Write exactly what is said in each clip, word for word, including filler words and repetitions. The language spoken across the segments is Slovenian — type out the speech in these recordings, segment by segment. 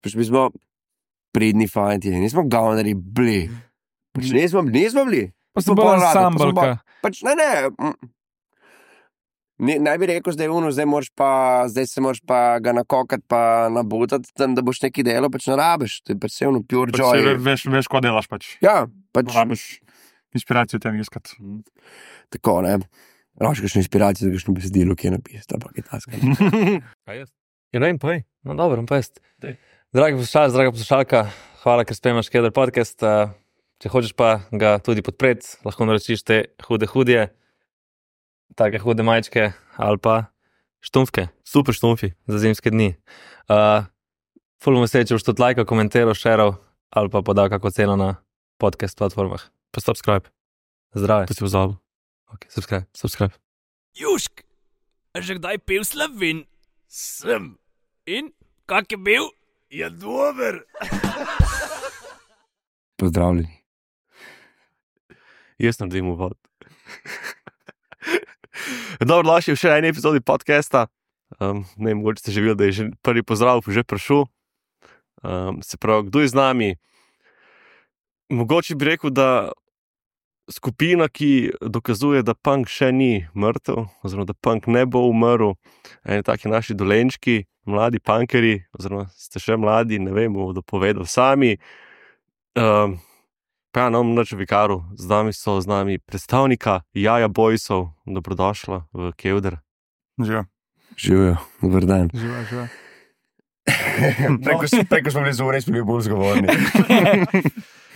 pač mi smo pridni fanti, nismo govnari bili. Pač nismo, nismo bili. Pa ste bolj ensemblka. Pač ne, ne. ne naj bi rekel, zdaj uno, zdaj moraš pa, zdaj se moraš pa ga nakokati, pa nabutati, da boš neki delo, pač ne rabiš. To je pač vse ono pure pač joy. Veš, veš, ko delaš pač. Ja, pač. Rabiš inspiracijo tem iskati. Tako, ne. Rabiš kakšno inspiracijo, da kakšno besedilo, ki je napisati, pa kaj taska. Kaj jaz? Ja, ne vem, pa je. No, dobro, pa jaz. Dragi poslušalci, draga poslušalka, hvala, ker spremljaš Keder podcast. Če hočeš pa ga tudi podpreti, lahko naročiš te hude hudje, take hude majčke ali pa štumfke, super štumfi za zimske dni. Uh, ful bom vesel, če boš tudi lajkal, komentiral, šeral ali pa podal kako ceno na podcast platformah. Pa subscribe. Zdrave. To si pozabil. Ok, subscribe, subscribe. Jušk, a že kdaj pil Slovin? Sem. In, kak je bil? Je dober. Pozdravljeni. Jaz naredim uvod. Dobro, došli v še eni epizodi podcasta. Um, ne vem, mogoče ste že videli, da je že prvi pozdrav že prišel. Um, se pravi, kdo je z nami? Mogoče bi rekel, da skupina, ki dokazuje, da punk še ni mrtev, oziroma da punk ne bo umrl, eni taki naši dolenčki, mladi punkeri, oziroma ste še mladi, ne vem, bomo dopovedali sami. Um, pa ja, nam nač vikaru, z nami so z nami predstavnika Jaja Boysov, dobrodošla v Kevder. Živijo. Živijo, dober dan. Živijo, živijo. preko, preko smo bili zore, smo bili bolj zgovorni.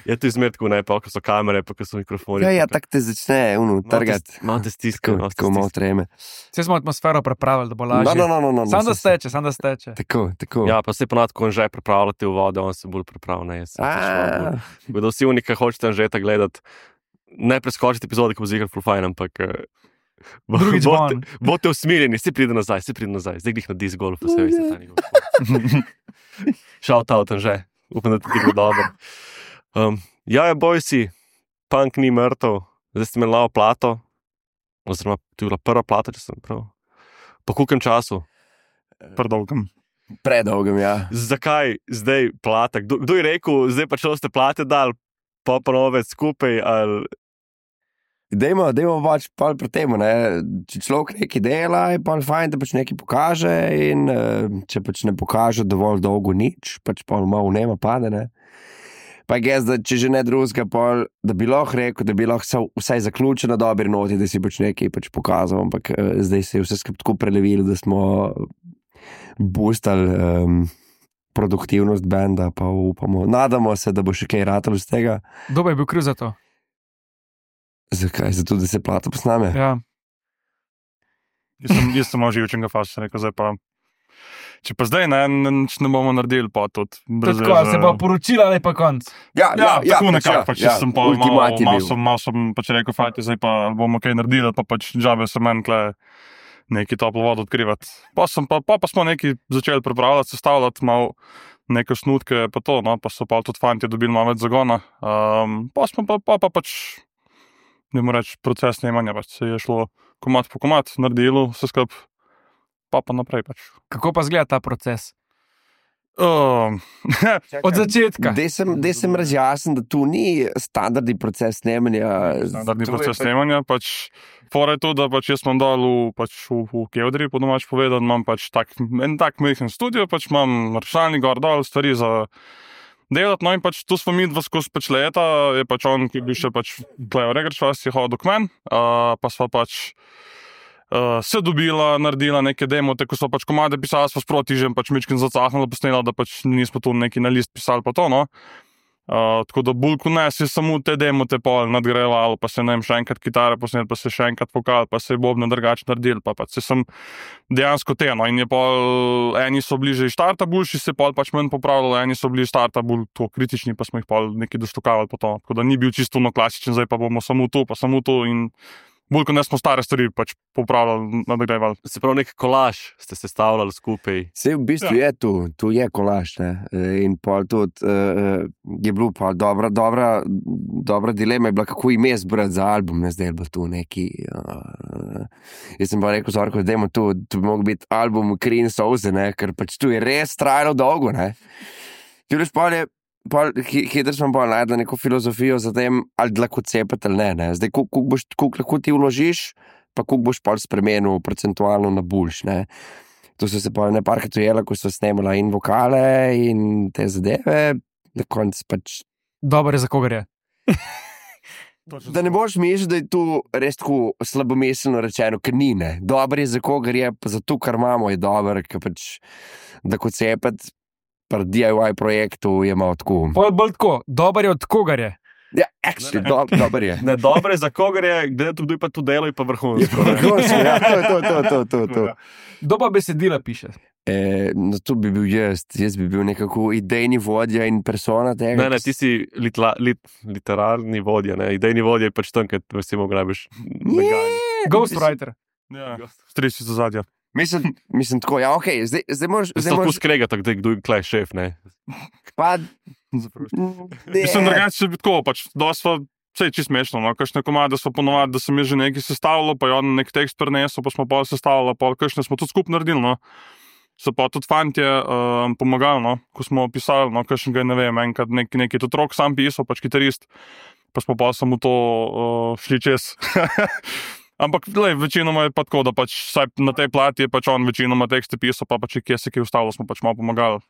Ja, to je zmer tako, ne, pa ko so kamere, pa ko so mikrofoni. Ja, ja, tak te začne, uno, trgati. Malo te stiska. Tako malo treme. Vse smo atmosfero pripravili, da bo lažje. No, no, no, no, no, Sam da steče, sam da steče. Tako, tako. Ja, pa se ponadko on že pripravljate v vode, on se bolj pripravlja, ne, jaz. Bodo vsi unika, hočete Anžeta gledati, ne preskočiti epizode, ko bo zigral full fine, ampak drugič bote, bote usmiljeni, si pride nazaj, si pride nazaj, zdaj glih na disc golf, vse veste, ta njegov. Shout out, Anže, upam, da ti bo dobro. Um, Jaja Boysi, punk ni mrtev, zdaj ste imeli lavo plato, oziroma to je bila prva plata, če sem prav. Po koliko času? Predolgem. Predolgem, ja. Zakaj zdaj plata? Kdo, kdo je rekel, zdaj pa če ste plate dali, pa ponovec skupaj, ali... Dejmo, dejmo pač pol pri temu, ne. Če človek nekaj dela, je pol fajn, da pač nekaj pokaže in če pač ne pokaže dovolj dolgo nič, pač pol malo nema pade, ne. Pa je gez, da če že ne drugega, pol, da bi lahko rekel, da bi lahko vsaj zaključil na dobri noti, da si pač nekaj pač pokazal, ampak uh, zdaj se je vse skupaj tako prelevilo, da smo boostali um, produktivnost benda, pa upamo, nadamo se, da bo še kaj ratalo z tega. Kdo bi bil kriv za to? Zakaj? Zato, da se plata posname? Ja. Jaz sem, jaz sem malo živčenega fasa, rekel, zdaj pa... Če pa zdaj ne, nič ne bomo naredili, pa tudi. Tako, se pa poročila, ali pa konc. Ja, ja, ja tako nekako, ja, pač ja, sem pa malo, malo sem, malo sem pač rekel, fajte, zdaj pa bomo kaj naredili, pa pač džabe se meni kle neki toplo vodo odkrivati. Pa, sem, pa, pa, pa smo neki začeli pripravljati, sestavljati malo neke snutke, pa to, no, pa so pa tudi fanti dobili malo več zagona. Um, pa smo pa, pa, pa pač, ne moram reči, proces snemanja, pač se je šlo komad po komad, naredilo vse skup. Pa pa naprej pač. Kako pa zgleda ta proces? Uh, Od začetka. Dej sem, dej sem razjasnil, da tu ni standardni proces snemanja. Standardni proces pa... snemanja, pač fora je to, da pač jaz imam dol v, pač v, v Kevdri, po domač povedan, imam pač tak, en tak majhen studio, pač imam računalnik gor dol, stvari za delati, no in pač tu smo mi dva skozi pač leta, je pač on, ki bi še pač Klejo Regrič, vas je hodil k men, uh, pa sva pač Uh, se dobila, naredila neke demote, ko so pač komade pisali, smo sproti že pač mičkin zacahnila, posnela, da pač nismo tu neki na list pisali pa to, no. Uh, tako da bulku ne, si samo te demote pol nadgrajala, pa se ne vem, še enkrat kitare posnel, pa se še enkrat vokal, pa se je bobne drugače naredil, pa pač se sem dejansko te, no, in je pol, eni so bliže iz štarta boljši, se pol pač manj popravljalo, eni so bili iz štarta bolj to kritični, pa smo jih pol neki dostokavali po to, tako da ni bil čisto no klasičen, zdaj pa bomo samo tu, pa samo tu in bolj, ko ne smo stare stvari pač popravljali, nadgrajevali. Se pravi, nek kolaž ste sestavljali skupaj. Se v bistvu ja. je tu, tu je kolaž, ne, in pol tudi uh, je bilo pa dobra, dobra, dobra dilema je bila, kako ime zbrati za album, ne, zdaj je bilo tu neki, uh, jaz sem pa rekel, Zorko, dajmo tu, tu bi mogel biti album Kri in solze, ne, ker pač tu je res trajalo dolgo, ne. Ti veš, pol je, pol, hitro smo pol najdli neko filozofijo za tem, ali lahko cepati ali ne, ne. Zdaj, koliko boš, koliko lahko ti vložiš, pa koliko boš pol spremenil procentualno na boljš, ne. To so se pol neparkrat ujela, ko so snemala in vokale in te zadeve, na konc pač... Dobar je za kogar je. Da ne boš mislil, da je tu res tako slabomiselno rečeno, ker ni, ne. Dobar je za kogar je, pa za to, kar imamo, je dober, ker pač, da kot cepati pri D I Y projektu je malo tako. Pol bolj tako, dobar je od kogar je. Ja, actually, do, dober je. Ne, dobro je za kogar je, glede to, kdo je pa to delo, je pa vrhunsko. Vrhunsko, ja, to, to, to, to, to, to. Kdo pa besedila piše? E, no, to bi bil jaz, jaz bi bil nekako idejni vodja in persona tega. Ne, ne, ti si litla, lit, literarni vodja, ne, idejni vodja je pač tam, ker recimo grabiš meganje. Ghostwriter. Ja, stresi za zadja. Mislim, mislim tako, ja, okej, okay, zdaj, zdaj moraš... Zdaj moraš skregati, da kdo je klej šef, ne. Pa... Mislim, drugače bi tako, pač, da sva, vse je čisto smešno, no, kakšne komade smo ponovadi, da sem jaz že nekaj sestavljal, pa je on nek tekst prinesel, pa smo pol sestavljali, pa kakšne smo tudi skupaj naredili, no. So pa tudi fantje um, pomagali, no, ko smo pisali, no, kakšnega, ne vem, enkrat nek, neki tudi rok sam pisal, pač kitarist, pa smo pa samo to uh, šli čez. Ampak, glej, večinoma je pa tako, da pač saj na tej plati je pač on večinoma tekste pisal, pa pač kje se kaj ustavilo, smo pač malo pomagali.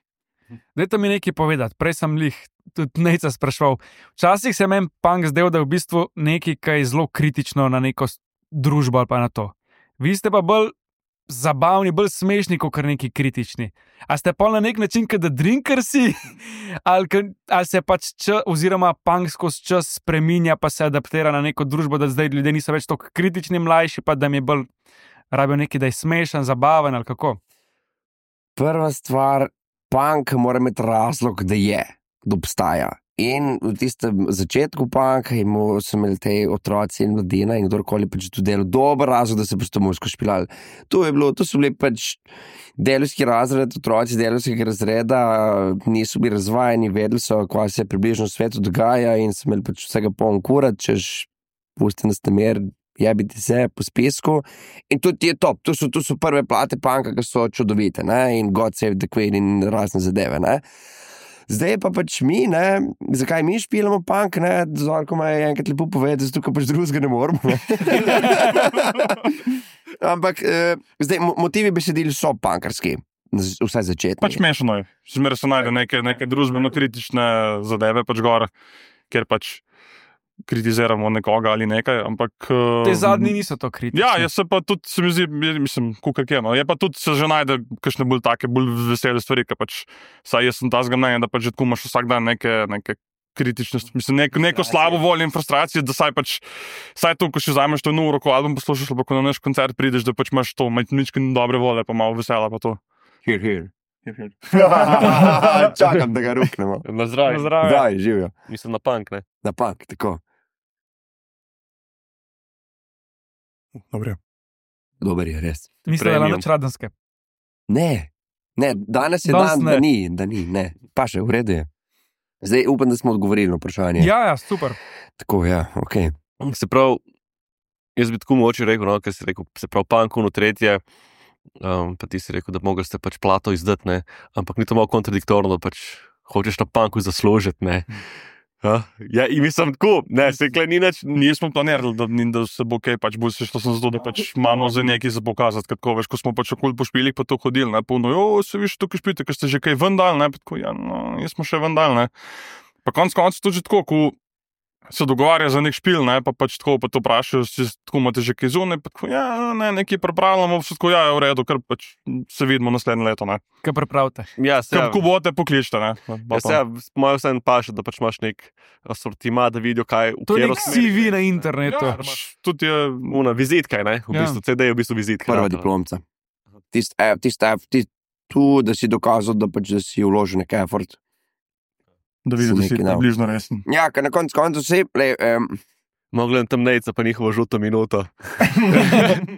Dajte mi nekaj povedati, prej sem lih tudi Nejca sprašval. Včasih se meni punk zdel, da je v bistvu nekaj, kaj je zelo kritično na neko družbo ali pa na to. Vi ste pa bolj zabavni, bolj smešni, kot kar neki kritični. A ste pa na nek način, kada drinkersi, ali, ali se pač čas, oziroma punk skozi čas spreminja, pa se adaptira na neko družbo, da zdaj ljudje niso več toliko kritični, mlajši, pa da mi je bolj rabijo nekaj, da je smešen, zabaven ali kako? Prva stvar, punk mora imeti razlog, da je, da obstaja. In v tistem začetku punka so imeli te otroci in mladina in kdorkoli pač to delo dober razlog, da se pač to muziko špilali. To je bilo, to so bili pač delovski razred, otroci delovskega razreda, niso bili razvajeni, vedeli so, kaj se približno v svetu dogaja in so imeli pač vsega poln kurat, češ pusti nas namer, jebiti se po spisku. In tudi je top, to so, to so prve plate punka, ki so čudovite, ne, in God Save the Queen in razne zadeve, ne. Zdaj pa pač mi, ne, zakaj mi špilamo punk, ne, Zorko ima enkrat lepo povedati, zato ker pač drugega ne moramo, ne. Ampak, eh, zdaj, motivi besedili so punkarski, vsaj začetni. Pač mešano je, zmeraj se najde neke, neke družbeno-kritične zadeve pač gor, ker pač kritiziramo nekoga ali nekaj, ampak... Te zadnji niso to kritične. Ja, jaz se pa tudi, se mi zdi, mislim, kukaj kje, no, je pa tudi se že najde kakšne bolj take, bolj vesele stvari, ker pač, saj jaz sem ta zgamnenja, da pač že tako imaš vsak dan neke, neke kritične, mislim, neko, neko slabo voljo in frustracijo, da saj pač, saj to, ko še vzameš to eno uro, ko album poslušaš, pa ko na naš koncert prideš, da pač imaš to, ničke dobre volje, pa malo vesela, pa to. Here, here. Čakam, da ga ruknemo. Na zdravje. Na zdravje. Zdaj, živijo. Mislim na punk, ne? Na punk, tako. Dobre. Dober je, res. Mislim, da je Premium. noč radenske. Ne, ne, danes je Danes dan, ne. da ni, da ni, ne. Pa še, v redu je. Zdaj upam, da smo odgovorili na vprašanje. Ja, ja, super. Tako, ja, okej. Se pravi, jaz bi tako mogoče rekel, no, ker si rekel, se pravi, punk uno tretje, um, pa ti si rekel, da mogli ste pač plato izdati, ne, ampak ni to malo kontradiktorno, da pač hočeš na punku zaslužiti, ne. Ja, ja, in mislim tako, ne, se kle ni nič, Nismo planirali, da, da se bo kaj pač bolj sešlo, sem zato, da pač imamo za nekaj za pokazati, ker tako, veš, ko smo pač okoli po špilih pa to hodili, ne, polno, jo, se viš, tukaj špite, ker ste že kaj ven dali, ne, pa tako, ja, no, jaz smo še ven dali, ne. Pa konc konc tudi že tako, ko se dogovarja za nek špil, ne, pa pač tako, pa to vprašajo, si tako imate že kaj zunaj, pa tako, ja, ne, nekaj pripravljamo, vse tako, ja, je v redu, ker pač se vidimo naslednje leto, ne. Kaj pripravite? ja, se, Ker ko bote pokličite, ne. ja, se, ja, moja vse en paše, da pač imaš nek asortima, da vidijo, kaj, v To je katero nek smer C V gre. na internetu. Ja, pač tudi je, Una vizitka, ne, v Ja. bistvu, C D je v bistvu vizitka. Prva ja, to. diplomca. Tist, eh, tist, eh, tist, tu, da si dokazal, da pač, da si vložil nek effort. da vidiš, da si Nekaj dal. približno resen. Ja, ker na koncu koncu vse, le, um, No, gledam tam Nejca, pa njihovo žuto minuto. Ne,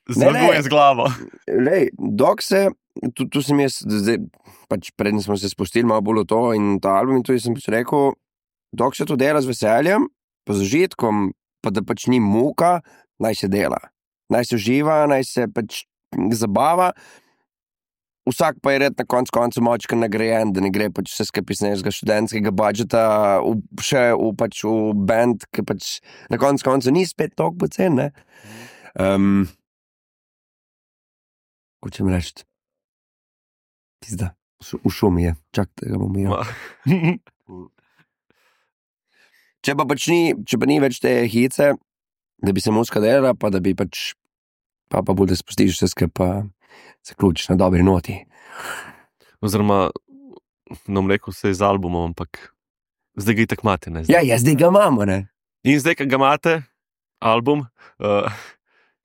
Zmaguje ne. z glavo. lej, dok se, tu, tu sem jaz, zdaj, pač predn smo se spustili malo bolj v to in ta album in tu sem pač rekel, dok se to dela z veseljem, pa z užitkom, pa da pač ni muka, naj se dela. Naj se uživa, naj se pač zabava. vsak pa je red na koncu koncu močka nagrajen, da ne gre pač vse skupaj iz nekega študentskega budžeta v, še v, pač v band, ki pač na koncu koncu ni spet toliko pocen, ne. Um, Hočem reči, pizda, v šumi je, čakajte, ga bom imel. Če pa pač ni, če pa ni več te hice, da bi se muska delala, pa da bi pač, pa pa bolj da spustiš vse skupaj, pa se ključiš na dobri noti. Oziroma, nam rekel se iz albumom, ampak zdaj ga itak imate, ne? Ja, ja, zdaj ga imamo, ne. In zdaj, ko ga imate, album, uh,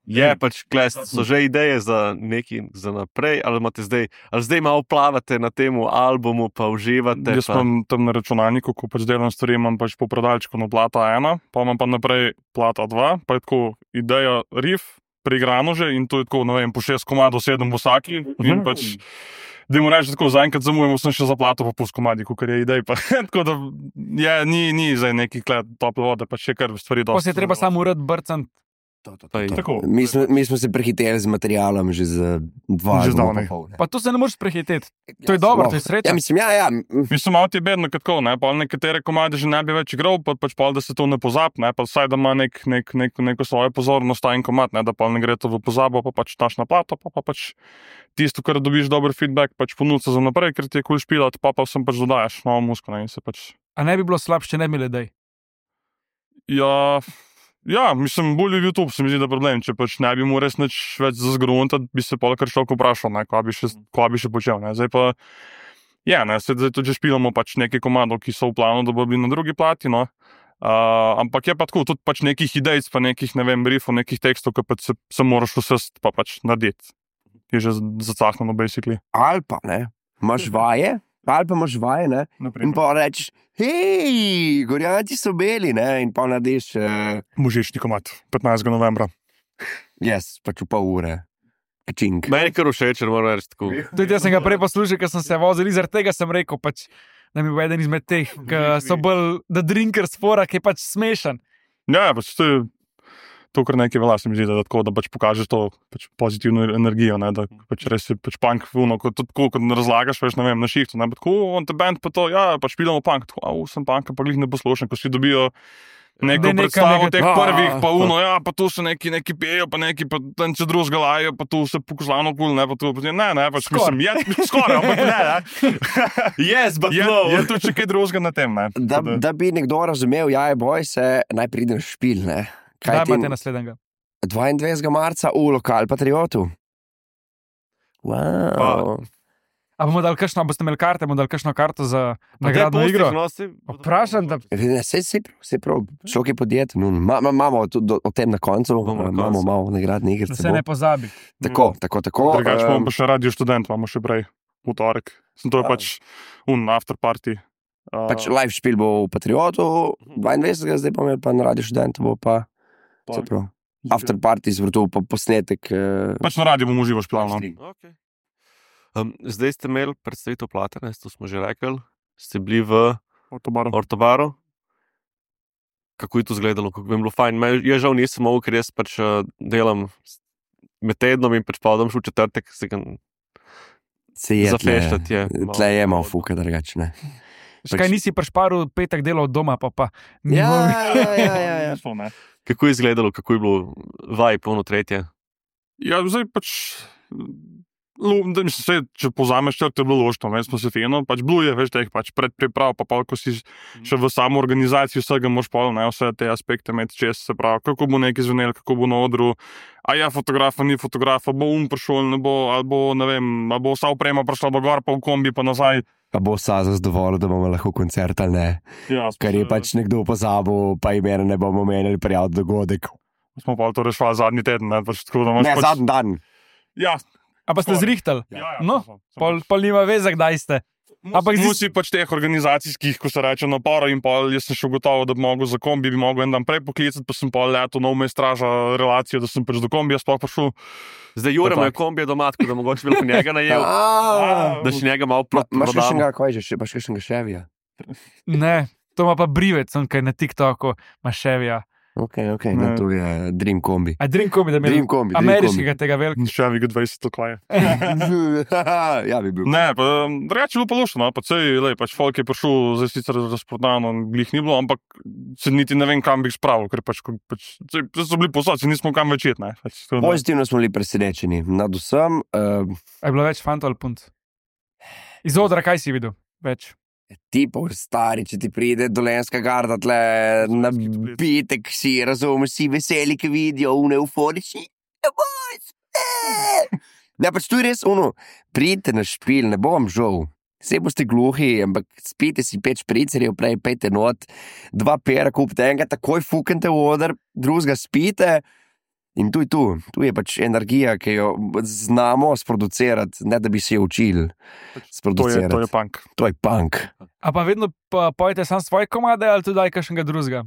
je pač, kles, so že ideje za neki, za naprej, ali imate zdaj, ali zdaj malo plavate na temu albumu, pa uživate? Jaz pa... imam tam na računalniku, ko pač delam stvari, imam pač po predalčku na plata ena, pa imam pa naprej plata dva, pa je tako ideja riff, preigrano že in to je tako, ne vem, po šest komadov, sedem vsaki in pač, da mu reči tako, zaenkrat zamujemo, sem še za plato pa pust komadi, kakor je idej, pa tako da je, ni, ni zdaj neki kled tople vode, pa še kar stvari dosti. Pa se je treba samo urad brcant. To, to, to, Pa je- to. Tako. Mi, smo, mi smo se prehiteli z materialom že za dva Že albuma zdavnaj. pa pol, ne. Pa to se ne moreš prehiteti. To je dobro, to je sreča. Ja, mislim, ja, ja. Mislim, malo ti je bedno, kot tako, ne, pa nekatere komade že ne bi več igral, pa pač pol, da se to ne pozab, ne, pa vsaj, da ima nek, nek, nek, neko svojo pozornost ta en komad, ne, da pa ne gre to v pozabo, pa pač daš na plato, pa, pa pač tisto, kar dobiš dober feedback, pač ponudca za naprej, ker ti je kul špilat, pa pa vsem pač dodajaš novo muziko, ne, in se pač, A ne bi bilo slabše, če ne bi bile dej. ja, ja, mislim, bolj je YouTube, se mi zdi, da problem, če pač ne bi mu res nič več zazgrunta, bi se pol kar človek vprašal, ne, kva bi še, kva bi še počel, ne, zdaj pa, ja, ne, zdaj tudi že špilamo pač nekaj komadov, ki so v planu, da bo bili na drugi plati, no. Uh, ampak je pa tako, tudi pač nekih idej, pa nekih, ne vem, riffov, nekih tekstov, ki pač se, se moraš vsest pa pač narediti. Je že zacahneno, basically. Ali pa, ne, imaš vaje, ali pa imaš vaje, ne, in pa rečeš, hej, gorjanci so beli, ne, in pa narediš, uh, Mužični komad, petnajstega novembra. jaz, pač v pol ure, kčink. Meni je kar všeč, če moram reči tako. Tudi jaz sem ga prej poslušal, ker sem se vozil, in zaradi tega sem rekel, pač, da mi bo eden izmed teh, ki so bolj the drinkers fora, ki je pač smešen. Ja, pač to je to, kar nekaj velja, se mi zdi, da, tako, da pač pokažeš to pač pozitivno energijo, ne, da pač res je pač punk vuno, kot, tako, kot razlagaš, veš, ne vem, na šihtu, ne, pa tako, on te band pa to, ja, pač pilamo punk, tako, au, sem punk, pa glih ne poslušam, ko si dobijo neko Da je neka- predstavo neka- teh a, prvih, pa a, uno, ja, pa tu se neki, neki pijejo, pa neki, pa tam če drugega lajo, pa tu se pokozlano kul, ne, pa tu, pa, ne, ne, pač Skoraj. mislim, je, skoraj, ampak ne, ne. Yes, but Je, no! je tu še kaj drugega na tem, ne. Da, Tako da bi nekdo razumel, ja, je boj se, naj pride na špil, ne. Kaj Kaj ti imate naslednjega? dvaindvajsetega marca v Lokal Patriotu. Wow. A bomo dali kakšno, a boste imeli karte, bomo dali kakšno karto za nagradno igro? Vprašam, da Ne, se, se, se prav, šok je podjet, no, ma, ma, imamo to, do, o tem na koncu, Bomo na imamo koncu. malo nagradne igre. da se ne pozabi. Tako, tako, tako. Drugač em, imamo pa še radio študent, imamo še prej, v torek. Sem to je A. pač un after party. Uh, Pač live špil bo v Patriotu, dvaindvajsetega zdaj pa imel pa na Radio Študentu, bo pa, se prav, after party zvrtu pa posnetek. eh, Pač na radiju bomo uživo špilali. stream. Okay. Um, zdaj ste imeli predstavitev Platane, to smo že rekli, ste bili v No? Ortobaru. Kako je to izgledalo, kako bi bilo fajn. Me, jaz žal nisem mogel, ker jaz pač uh, delam med tednom in pač pa odem še v četrtek, se ga Se je tle, zafeštati. Je, tle je malo fuka drugače, ne. Škaj nisi prišparil petek delal od doma, pa pa. ni Ja, mogel. ja, ja, ja, ja. Ne. Kako je izgledalo, kako je bilo vaj, polno tretje? Ja, zdaj pač. Lu, da, mislim, se, če pozameš, črk, to je bilo lošno, ne, smo se fino, pač bilo je, veš, teh pač predpriprav, pa pa, ko si še v samo organizaciji vsega moš pol, ne, vse te aspekte imeti čez, se pravi, kako bo nekaj zvenel, kako bo na odru, a ja, fotografa, ni fotografa, bo um prišel, ne bo, ali bo, ne vem, ali bo vsa oprema prišla do gor, pa v kombi, pa nazaj. Pa bo Saza zadovoljil, da bomo lahko koncert ali ne. Ja, smo Ker je se- pač nekdo pozabil, pa imena ne bomo menili prijaviti dogodek. Smo pa to rešvali zadnji teden, ne, pač tako, da imaš Ne, pač... zadnji dan. Ja, A pa ste Skoraj. zrihtali? ja, ja, No, sem- sem Pol, pač- pol nima veze, kdaj ste. Ampak zdi- Musi pač teh organizacijskih, ko se reče, naporov in pol, jaz sem še gotovo, da bi mogel za kombi, bi mogel en dan prej poklicati, pa sem pol leto nov me straža relacijo, da sem pač do kombija sploh prišel. Zdaj Jure ima Tak. kombije doma, tako da mogoče bi lahko njega najel, A, da še njega malo Ma- Imaš prodamo. kakšnega, kaj že, imaš kakšnega ševija? Ne, to ima pa brivec, on kaj na TikToku, maševija. Ok, ok, no, to je Dream Kombi. A Dream Kombi, da bi Dream Kombi, Dream ameriškega tega velikega. Šavi ga dvajset oklaje. Ja, bi bil. Ne, pa drugače je bilo pa lušno, no, pa sej, lej, pač folk je prišel, zdaj sicer razprodano, glih ni bilo, ampak se niti ne vem, kam bi jih spravil, ker pač, pač sej, so bili posod, se nismo kam več jet, ne. Pač, tako da- Pozitivno smo bili presenečeni. Nad vsem, uh, A je bilo več fantov ali punt? Iz odra, kaj si videl? Več. ti pa stari, če ti pride dolenska garda tle na bitek, si razumeš, si veseli, ki vidijo, une euforični. Ja, boys, ne! Ne, pač tu je res ono, pridite na špil, ne bom žal. Vse boste gluhi, ampak spite si pet špricerjev, prej pejte not, dva pera kupite, enega takoj fukente v oder, drugega spite. In tu je tu, tu je pač energija, ki jo znamo sproducirati, ne da bi se jo učili To je, sproducirati. to je punk. To je punk. A pa vedno pa pojete sam svoje komade ali tudi daj kakšnega drugega?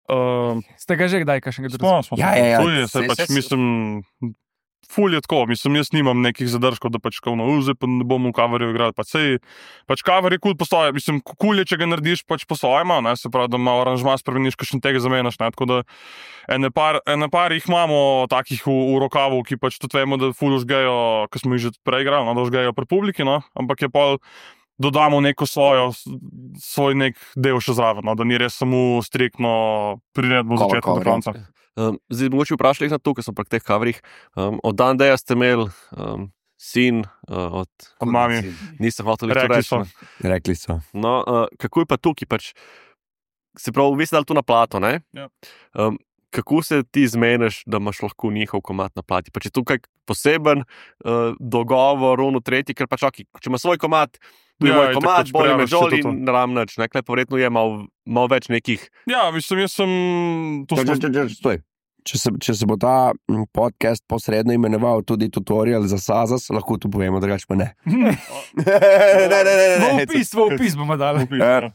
Uh, Ste ga že kdaj kakšnega drugega? smo, smo, Ja, ja, ja, To je, saj- saj pač, saj- mislim, ful je tako, mislim, jaz nimam nekih zadržkov, da pač kao na uze, pa ne bom v coverju igral, pa sej, pač cover je kul postoje, mislim, kul je, če ga narediš pač po svojima, ne, se pravi, da malo aranžma spremeniš, kakšen tega zamenjaš, ne, tako da ene par, ene par jih imamo takih v, v rokavu, ki pač tudi vemo, da ful užgejo, ko smo jih že prej igrali, no, da užgejo pri publiki, no, ampak je pol dodamo neko svojo, svoj nek del še zraven, no, da ni res samo striktno priredbo od Cover, začetka do cover, konca. Um, zdaj, mogoče vprašali na to, ker sem pri teh coverih. Um, od Dan Deja ste imeli um, sin, uh, od, Od mami. nisem hotel to Rekli reči. so. ne. Rekli so. No, uh, kako je pa tukaj? Pač, se pravi, vi ste dali to na plato, ne? Ja. Um, kako se ti zmeniš, da imaš lahko njihov komad na plati? Pač je tukaj poseben uh, dogovor, ono tretji, ker pač, okay, če ima svoj komad, tu je Ja, moj itak komad, pač bolj me prijaviš se žoli to. in ravnač, ne, klej pa verjetno je malo mal več nekih. Ja, mislim, jaz sem to Čakaj, smo... čakaj, čakaj, stoj. Če se, če se bo ta mm, podcast posredno imenoval tudi tutorial za Sazas, lahko tu povemo, drugače pa ne. ne, ne, ne, ne, V ne. opis, v opis bomo dali. Ja.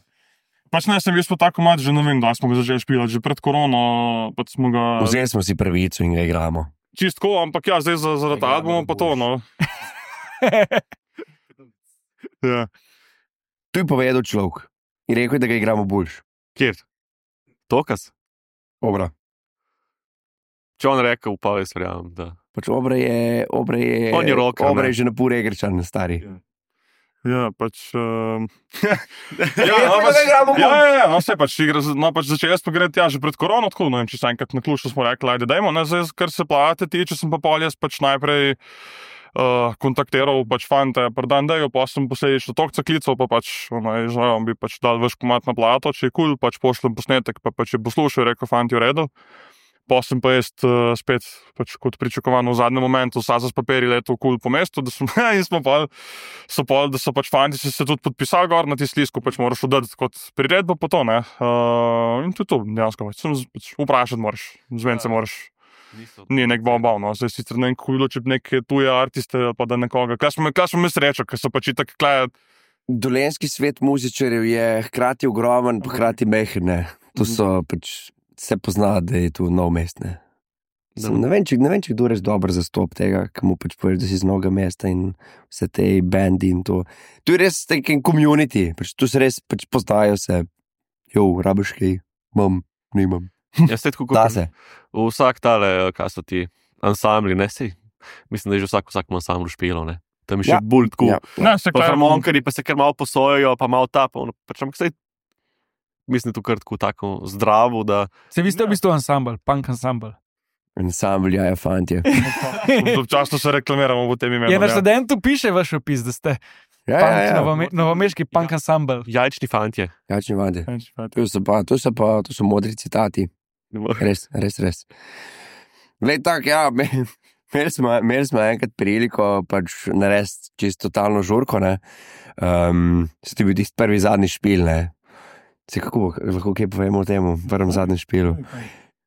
Pač ne, sem jaz pa tako mat, že ne vem, da smo ga začeli špilati, že pred korono, pač smo ga Vzeli smo si pravico in ga igramo. čistko, ampak ja, zdaj za, zaradi Igramo albuma ga pa to, no. Ja. Tu je povedal človek in rekel, je, da ga igramo boljš. Kjer? Tokas? Obra. Če on rekel, pa jaz verjamem, da. Pač obra je, obra je, On je rocker, obra ne? je že na pur egrečan, stari. Ja, pač... Um... Ja, ja, no, da pač, ga igramo ja, bolj. ja, ja, no, vse pač igra, no, pač začel jaz pa gre tja že pred korono, tako, ne vem, če se enkrat na ključu smo rekli, ajde, dajmo, ne, zdaj, kar se plate tiče, sem pa pol jaz pač najprej uh, kontaktiral pač fante, predan dejo, pa sem posledično tokca klical, pa pač, ono, je žal, bi pač dal vaš komat na plato, če je kul, cool, pač pošljem posnetek, pa pač je poslušal, rekel, fanti, v redu. Pa sem pa jaz uh, spet, pač kot pričakovano v zadnjem momentu, Sazas papiri letel kul po mestu, da smo, in smo pa, so pa, da so pač fanti se, se tudi podpisali gor na tisti list, ko pač moraš oddati kot priredbo po to, ne. Uh, in to je to, dejansko, pač, sem z- pač vprašati moraš, zven se moraš, ni nek bav, no, zdaj sicer ne vem, kako bi bilo, če bi neke tuje artiste, ali pa da nekoga, kaj smo, kaj smo mi srečo, ker so pač itak, klej, Dolenski svet muzičarjev je hkrati ogromen, pa hkrati mehen. ne. To so pač, se pozna, da je tu nov mest. Ne, Sem, ne vem, če, ne vem, če kdo res dobro zastop tega, ki mu pač poveš, da si z novega mesta in vse te bendi in to. Tu je res taki community, pač tu se res pač poznajo se, jo, rabiš kaj, imam, nimam. Jaz se tako Da kot se. vsak tale, kaj so ti ansambli, ne sej. Mislim, da je že vsak vsakem ansamblu špilo, ne. Tam je še Ja, bolj tako. Ja. ne, se Pa klej, harmonikari pa se kar malo posojajo, pa malo ta, pa ono, pač ampak sej, mislim, tu kar tako tako zdravo, da Se vi ste v bistvu ansambl, punk ansambl. Ansambl, ja, ja, fantje. občasno se reklamiramo v tem imenu. Je na ja. študentu piše vaš opis, da ste Ja, punk, ja, ja. novome, novomeški punk ansambl. jajčni fantje. Jačni fantje. Pač, pač. To so pa, to so pa, to so modri citati. Res, res, res. Glej, tako, ja, me- imeli smo, imeli smo enkrat priliko pač narediti čisto totalno žurko, ne. Um, Ste bil tisti prvi zadnji špil, ne. Se kako, lahko kaj povemo o tem, prvem zadnjem špilu?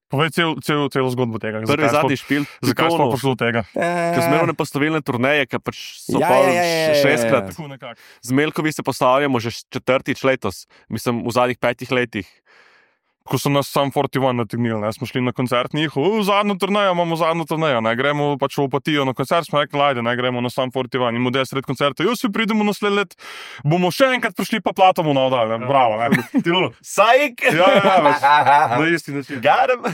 Povej cel, cel, celo zgodbo tega. Prvi zakaj zadnji smo- špil, Zakaj smo prišli do tega? Ker smo imeli postavilne turneje, ki pač so Ja, pa ja, ja, ja, ja, ja. šestkrat. Tako nekako. Z Melkovi se postavljamo že četrtič letos, mislim v zadnjih petih letih. ko so nas sam štiri ena nategnili, ne, smo šli na koncert njih, v zadnjo turnejo, imamo zadnjo turnejo, ne, gremo pač v Opatijo na koncert, smo rekli, ajde, ne, gremo na sam štiri ena, in mu des sred koncerta, jo si pridemo naslednje let, bomo še enkrat prišli pa platamo na oddal, ne, bravo, ne. Sajk! Ja, ja, več, na isti način. Garem!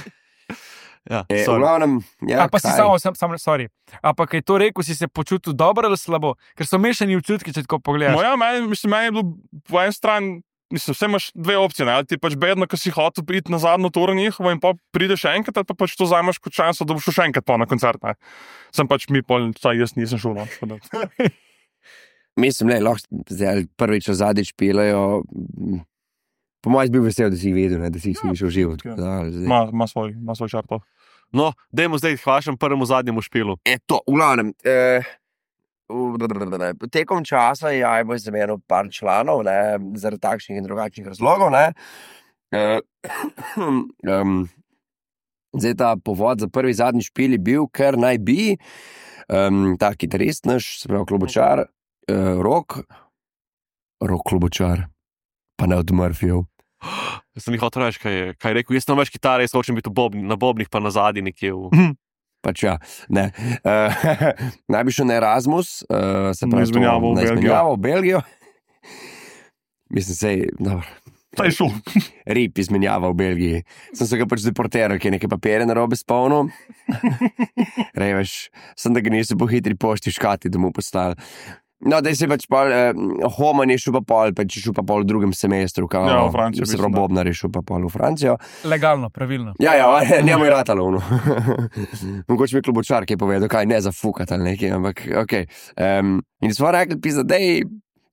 Ja, E, v sorry. glavnem, ja, A pa si kaj? samo, sam, sam, sorry. A pa kaj to rekel, si se počutil dobro ali slabo? Ker so mešani občutki, če tako pogledaš. No ja, meni, mislim, meni je bilo po eni strani, mislim, vse imaš dve opcije, ne, ali ti pač bedno, ko si hotel priti na zadnjo turo njihovo in pa prideš še enkrat, ali pa pač to vzameš kot šanso, da boš šel še enkrat pa na koncert, ne. Sem pač mi pol, saj jaz nisem šel, no. tako da. Mislim, ne, lahko zdaj prvič ali zadnjič pilejo. Po mojem, bil vesel, da si jih videl, ne, da si jih ja, šel živo. ja. Da, zdaj. Ma, ma svoj, ma svoj čar to. No, dajmo zdaj k vašemu prvemu zadnjemu špilu. E, to, v glavnem. Eh, v- tekom časa je Ajbo zamenjal par članov, ne, zaradi takšnih in drugačnih razlogov. Ne. Eh, um, zdaj ta povod za prvi zadnji špil je bil, ker naj bi um, ta kitarist naš, se pravi klubočar, eh, Rok, Rok klubočar, pa ne od Murphyjev. Jaz sem jih hotel reči, kaj je, kaj je rekel. Jaz sem več kitare, jaz hočem biti v bobni, na bobnih, pa na zadnji nekje. V... Pač ja, ne. Uh, naj bi šel na Erasmus, uh, se Na pravi, izmenjavo v na Belgijo. izmenjavo v Belgijo. Mislim, sej, dobro, Saj šel. rip izmenjava v Belgiji. Sem se ga pač deportiral, ki je neke papire na robe spolnil. Reveš, sem da ga niso po hitri pošti škati domov poslali. No, da se pač pol, eh, Homan je šel pa pol, pač je šel pa pol v drugem semestru, kao, Ja, v Francijo, se mislim, pravi, da. Bobnar je šel pa pol v Francijo. Legalno, pravilno. Ja, ja, njemu je ratalo, no. Mogoče mi je klubočar, ki je povedal, kaj ne zafukati ali nekaj, ampak ok. Um, in smo rekli, pisa, dej,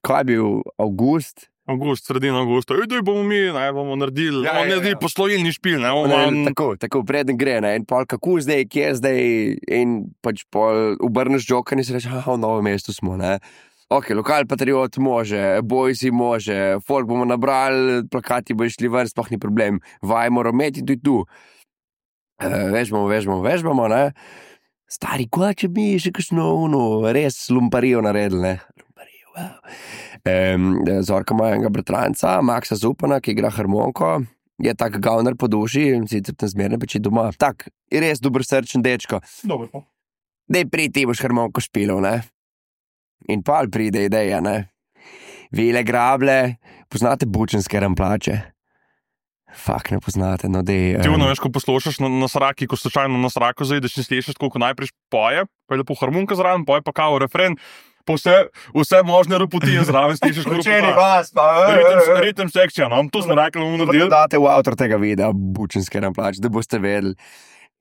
kaj je bil avgust, Avgust, sredina avgusta, ej, daj bomo mi, ne, bomo naredili, Ja, bomo ja, naredili ja. poslovilni špil, ne, bomo ne, malo- tako, tako, preden gre, ne, in pol kako zdaj, kje zdaj, in pač pol obrneš joker in si reče, aha, v novem mestu smo, ne. Ok, lokal patriot može, bojsi može, folk bomo nabrali, plakati bo šli ven, sploh ni problem, vaj moramo imeti tudi tu. Uh, vežbamo, vežbamo, vežbamo, ne. Stari, kva, če bi še kakšno, ono, res lumparijo naredili, ne. Lumparijo, wow. Um, Zorka ima enega bratranca, Maxa Zupana, ki igra harmoniko, je tak gavner po duši, sicer tam zmerno peči doma. Tak, je res dober srčen dečko. Dobro, pa. Dej pridi, ti boš harmoniko špilal, ne. In pol pride ideja, ne. Vile grable, poznate bučenske ramplače? Fak, ne poznate, no dej. Ti em, ono, veš, ko poslušaš na, na sraki, ko slučajno na sraku zaideš in slišiš, koliko najprej poje, pa je lepo harmonika zraven, poje pa kao refren, pa vse, vse možne ropotije zraven slišiš, kot Učeni vas, pa, ritem, ritem sekcija, no, to smo rekli, bomo naredili. date v avtor tega videa, bučenske ramplače, da boste vedeli.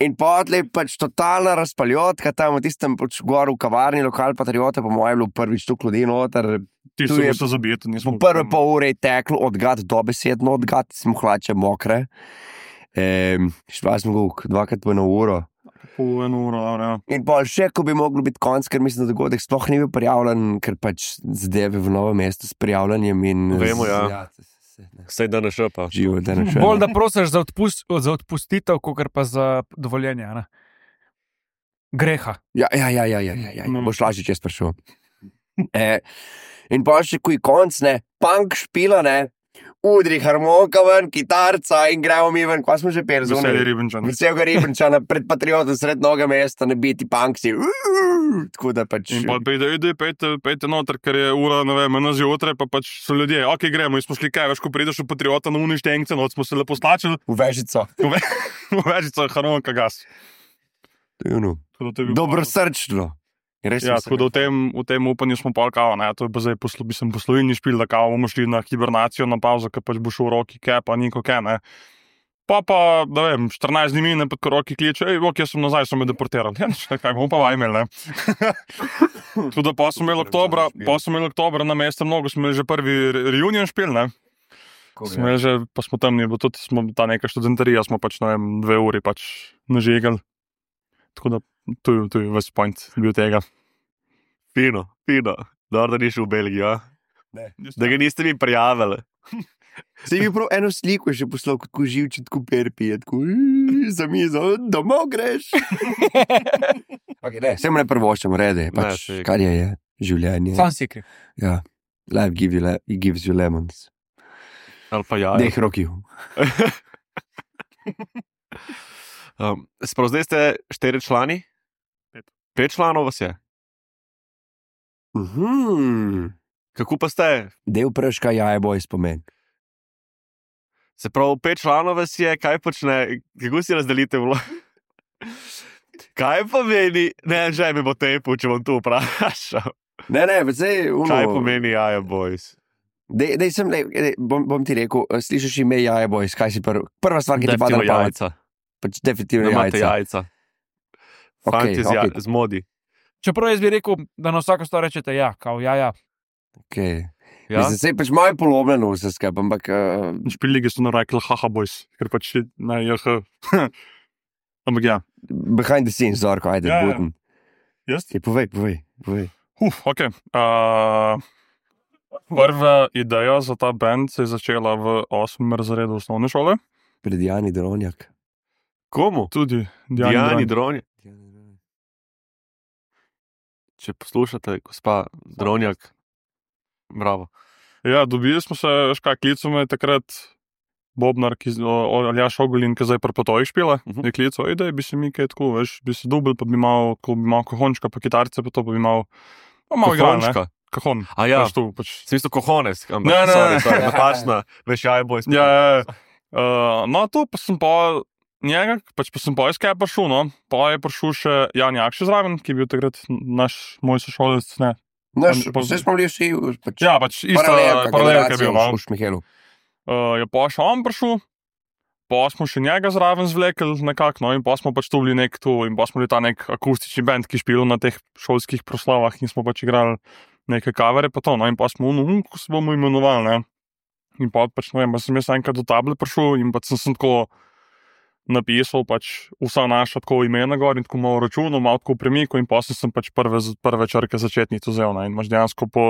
In potlej pač totalna razpaljotka tam v tistem pač gor v kavarni, lokal patriota, po mojem je bilo prvič tu ljudi noter. Ti tu so je- se zabijeti, nismo. V prve pol ure je teklo od gad do besedno od gad, smo hlače mokre. Ehm, šla smo guk, dvakrat po eno uro. Po eno uro, dobro, ja. In pol še, ko bi moglo biti konc, ker mislim, da dogodek sploh ni bil prijavljen, ker pač zadeve v novem mestu s prijavljanjem in... Vemo, ja. ja se- se- ne. Sej da ne šepa. Živo, da ne še. Bolj da prosiš za, odpust, za odpustitev, kot pa za dovoljenje. Ne? Greha. Ja, ja, ja, ja, ja, ja, ja. No. Boš lažje čez prišel. E, in pa še kuj konc, ne, punk špila, ne, udri harmonika ven, kitarca in gremo mi ven, kva smo že peli Veselje zunaj. Ribenčan. Vsega Ribenčana pred patriotom sred noga mesta, ne biti punksi. Tako da pač... In pa pride, ej, pejte, pejte noter, ker je ura, ne vem, ena zjutraj, pa pač so ljudje, ok, gremo, in smo šli kaj, veš, ko prideš v patriota na uništengce, no, smo se lepo slačili, V vežico. v vežico harmonika gas. To je ono. Tako da to je bil- Dobrosrčno. Res Ja, sem se tako da v ga- tem, v tem upanju smo pol kao, ne, to je pa zdaj poslo, bi sem poslovilni špil, da kao bomo šli na hibernacijo, na pauzo, ker pač bo šel v roki, kaj pa niko kaj, ne. Pa pa, da vem, štirinajst dni mine, pa ko roki kliče, ej, ok, jaz sem nazaj, so me deportirali. Ja, nič, kaj bomo pa vajmel, ne. Tako da pa smo imeli oktobra, pa smo imeli oktobra na mestu mnogo, smo imeli že prvi re- reunion špil, ne. Smo imeli že, pa smo tam, je bilo tudi, smo ta neka študentarija, smo pač, ne vem, dve uri pač nažigali. Tako da, to je, to je ves point bil tega. Fino, fino. Dobro, da ni šel v Belgijo, a? Da ga niste mi prijavili. Se je prav eno sliko še poslal, kot ko živči, tako perpije, tako "Ej, za mizo, domov greš. Okay, ne, se mu ne prvoščamo, rede, Ne, pač, saj- kar je, je življenje. Sam si kriv. Ja, life give you le, it gives you lemons. Ali pa ja. Dej roki. Um, Sprav, zdaj ste štiri člani? Pet. Pet članov vas je. Mhm. Kako pa ste? Del prška jaje boj spomen. Se pravi, pet članov vas je, kaj počne, kako si razdelite vlogo? Kaj pomeni, ne, že mi bo tepu, če bom tu vprašal. Ne, ne, zdaj uno. Kaj pomeni Jaja Boys? Dej, dej sem, dej, dej, bom, bom ti rekel, slišiš ime Jaja Boys, kaj si prv, prva stvar, ki ti pade na pamet? Jajca. Pač definitivno Da imate jajca. jajca. Ok, Fanti z, ja, ok. z modi. Čeprav jaz bi rekel, da na vsako stvar rečete ja, kao ja, ja. Okay. Ja? Mislim, sej pač malo polomljeno vse skupaj, ampak uh, Špiligi so narekli haha boys, ker pač na jh. Ampak ja. behind the scenes, Zorko, ajde, Ja, ja. buden. Jaz? Okay, povej, povej, povej. Uf, ok. Uh, prva ideja za ta band se je začela v osmem razredu osnovne šole. Pred Jani Dronjak. Komu? Tudi Dijani Dronjak. Dronjak. Če poslušate, gospa Dronjak, bravo. Ja, dobili smo se, veš kaj, klical me je takrat Bobnar, ki, o, o, Aljaš Ogolin, ki zdaj pri Potojih špila. Mhm. Uh-huh. Je klical, ej, da bi se mi kaj tako, veš, bi se dubl, pa bi imel, ko bi imel kohončka, pa kitarce, pa to pa bi imel, pa malo igral, ne? Kohončka. Kahon. A ja. Veš tu, pač. Smisel kohones. Ne, ne, ne. Napačna, veš, Jaja Boys. Ja, ja, ja. Uh, no, tu pa sem pa njega, pač pa sem pa iz kaj prišel, no. Pa je prišel še Jan Jakši zraven, ki je bil takrat naš, moj sošolec, ne. Naš, Pa- vse smo bili vsi, pač, Ja, pač ista paralelka, paralelka je generacija bil, no. v Šmihelu. Uh, je pa še on prišel, pa smo še njega zraven zvlekli nekako, no, in pa smo pač tu bili nek tu, in pa smo bili ta nek akustični band, ki špil na teh šolskih proslavah in smo pač igrali neke kavere, pa to, no, in pa smo, no, ko se bomo imenovali, ne. In pa pač, ne vem, pa sem jaz enkrat do table prišel in pa sem, sem tako napisal pač vsa naša tako imena gor in tako malo računal, malo tako premikal in pa sem, sem pač prve, prve črke začetnico vzel, ne, in imaš dejansko po,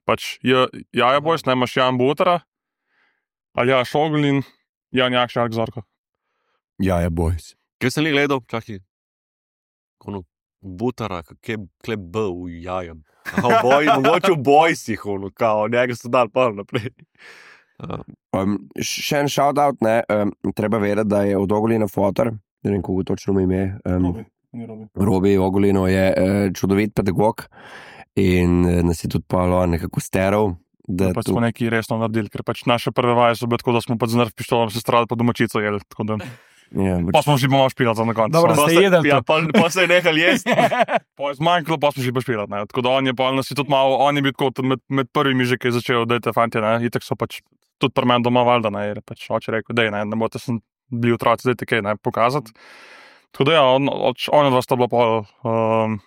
pač, ja, Jaja Boys, ne, imaš Jan Butara, Aljaš Ogolin, Jan Jakši, Alk Zorko. Jaja Boys. Kaj sem li gledal? Čakaj. Kono butara, kje kje B v jajem. Aha, v boj, mogoče v bojsih, ono, kao, njega so dal pa naprej. Uh, Um, še en shoutout, ne, um, treba vedeti, da je od Ogolina fotor, ne vem, kako točno mu ime, um, Robi Ogolino je uh, čudovit pedagog in uh, nas je tudi palo nekako steral, da Pač tu- smo nekaj resno naredili, ker pač naše prve vaje so bile tako, da smo pač z nerv pištolom se strali pa domačico jedli, tako da ja, pa smo že malo špilati za na koncu. Dobro, no. ste jedli ja, to. pa, pa se je nehal jesti. Pa je zmanjkalo, pa smo že pa špilati, ne. Tako da on je pa nas je tudi malo, on je bil tako med, med prvimi že, ki je začel, dajte fantje, ne, itak so pač tudi pri meni doma valjda, ne, je pač oče rekel, dej, ne, ne boste sem bili otroci, dajte kaj, ne, pokazati. Tako da ja, on, oč, on od vas sta bila pa, um,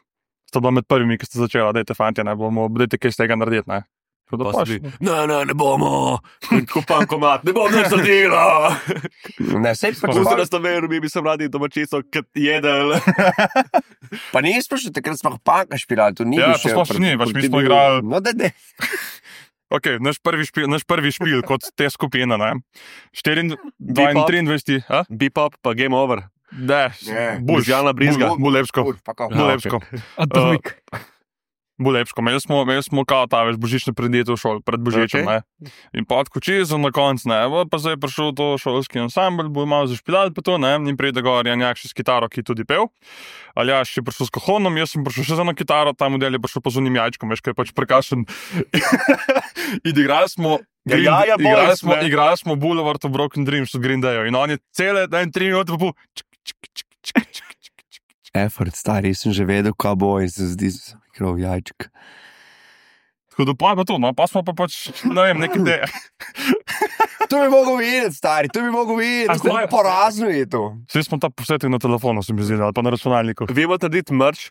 sta bila med prvimi, ki ste začela, dajte fantje, ne, bomo, dajte kaj z tega narediti, ne. Tako da Pa pač, si bi, ne, ne, ne bomo, kupam komat, ne bom nič naredila. Ne, sej pač Pusti pol- nas na veru, mi bi se radi domačico kad jedel. pa nismo še takrat smo panka špilali, to ni Ja, bil to še sploh še pr- ni, pač mi ti smo bil- igrali- No, da, da. Ok, naš prvi špil, naš prvi špil kot te skupine, ne. štiriindvajset, Bebop. triindvajset, a? Bebop, pa game over. Ne, Ne. bulj, Ljubljana Brizga. bulj, bulj lepško, Uf, pa kako. bulj Ja, lepško. Atomik. Bo lepško. Imeli smo, imeli smo kao ta več božične predmete v šoli, pred božičem, Ok. okay. ne. In pa tako čisto na koncu, ne, bo pa zdaj je prišel to šolski ansambl, bo malo zašpilali pa to, ne, in pride gor Jan Jakši s kitaro, ki je tudi pel. Aljaš je prišel s kahonom, jaz sem prišel še za eno kitaro, ta model je prišel pa z unim jajčkom, veš, kaj je pač prekašen. In igrali smo, Ja, Green- Jaja igrali Boys, smo, ne. igrali smo Boulevard of Broken Dreams od Green Dayov in on je cele, en tri minute pa pol, čik, čik, čik, čik, čik, čik, čik. Effort, stari, sem že vedel, kaj bo in se zdi, da sem krov jajček. Tako da pa je pa to, no, pa smo pa pač, ne vem, neke te. To bi mogel videti, stari, to bi mogel videti, A kako zdaj- porazno je to. Vsi smo ta posvetil na telefonu, se mi zdi, ali pa na računalniku. Vi boste narediti merch,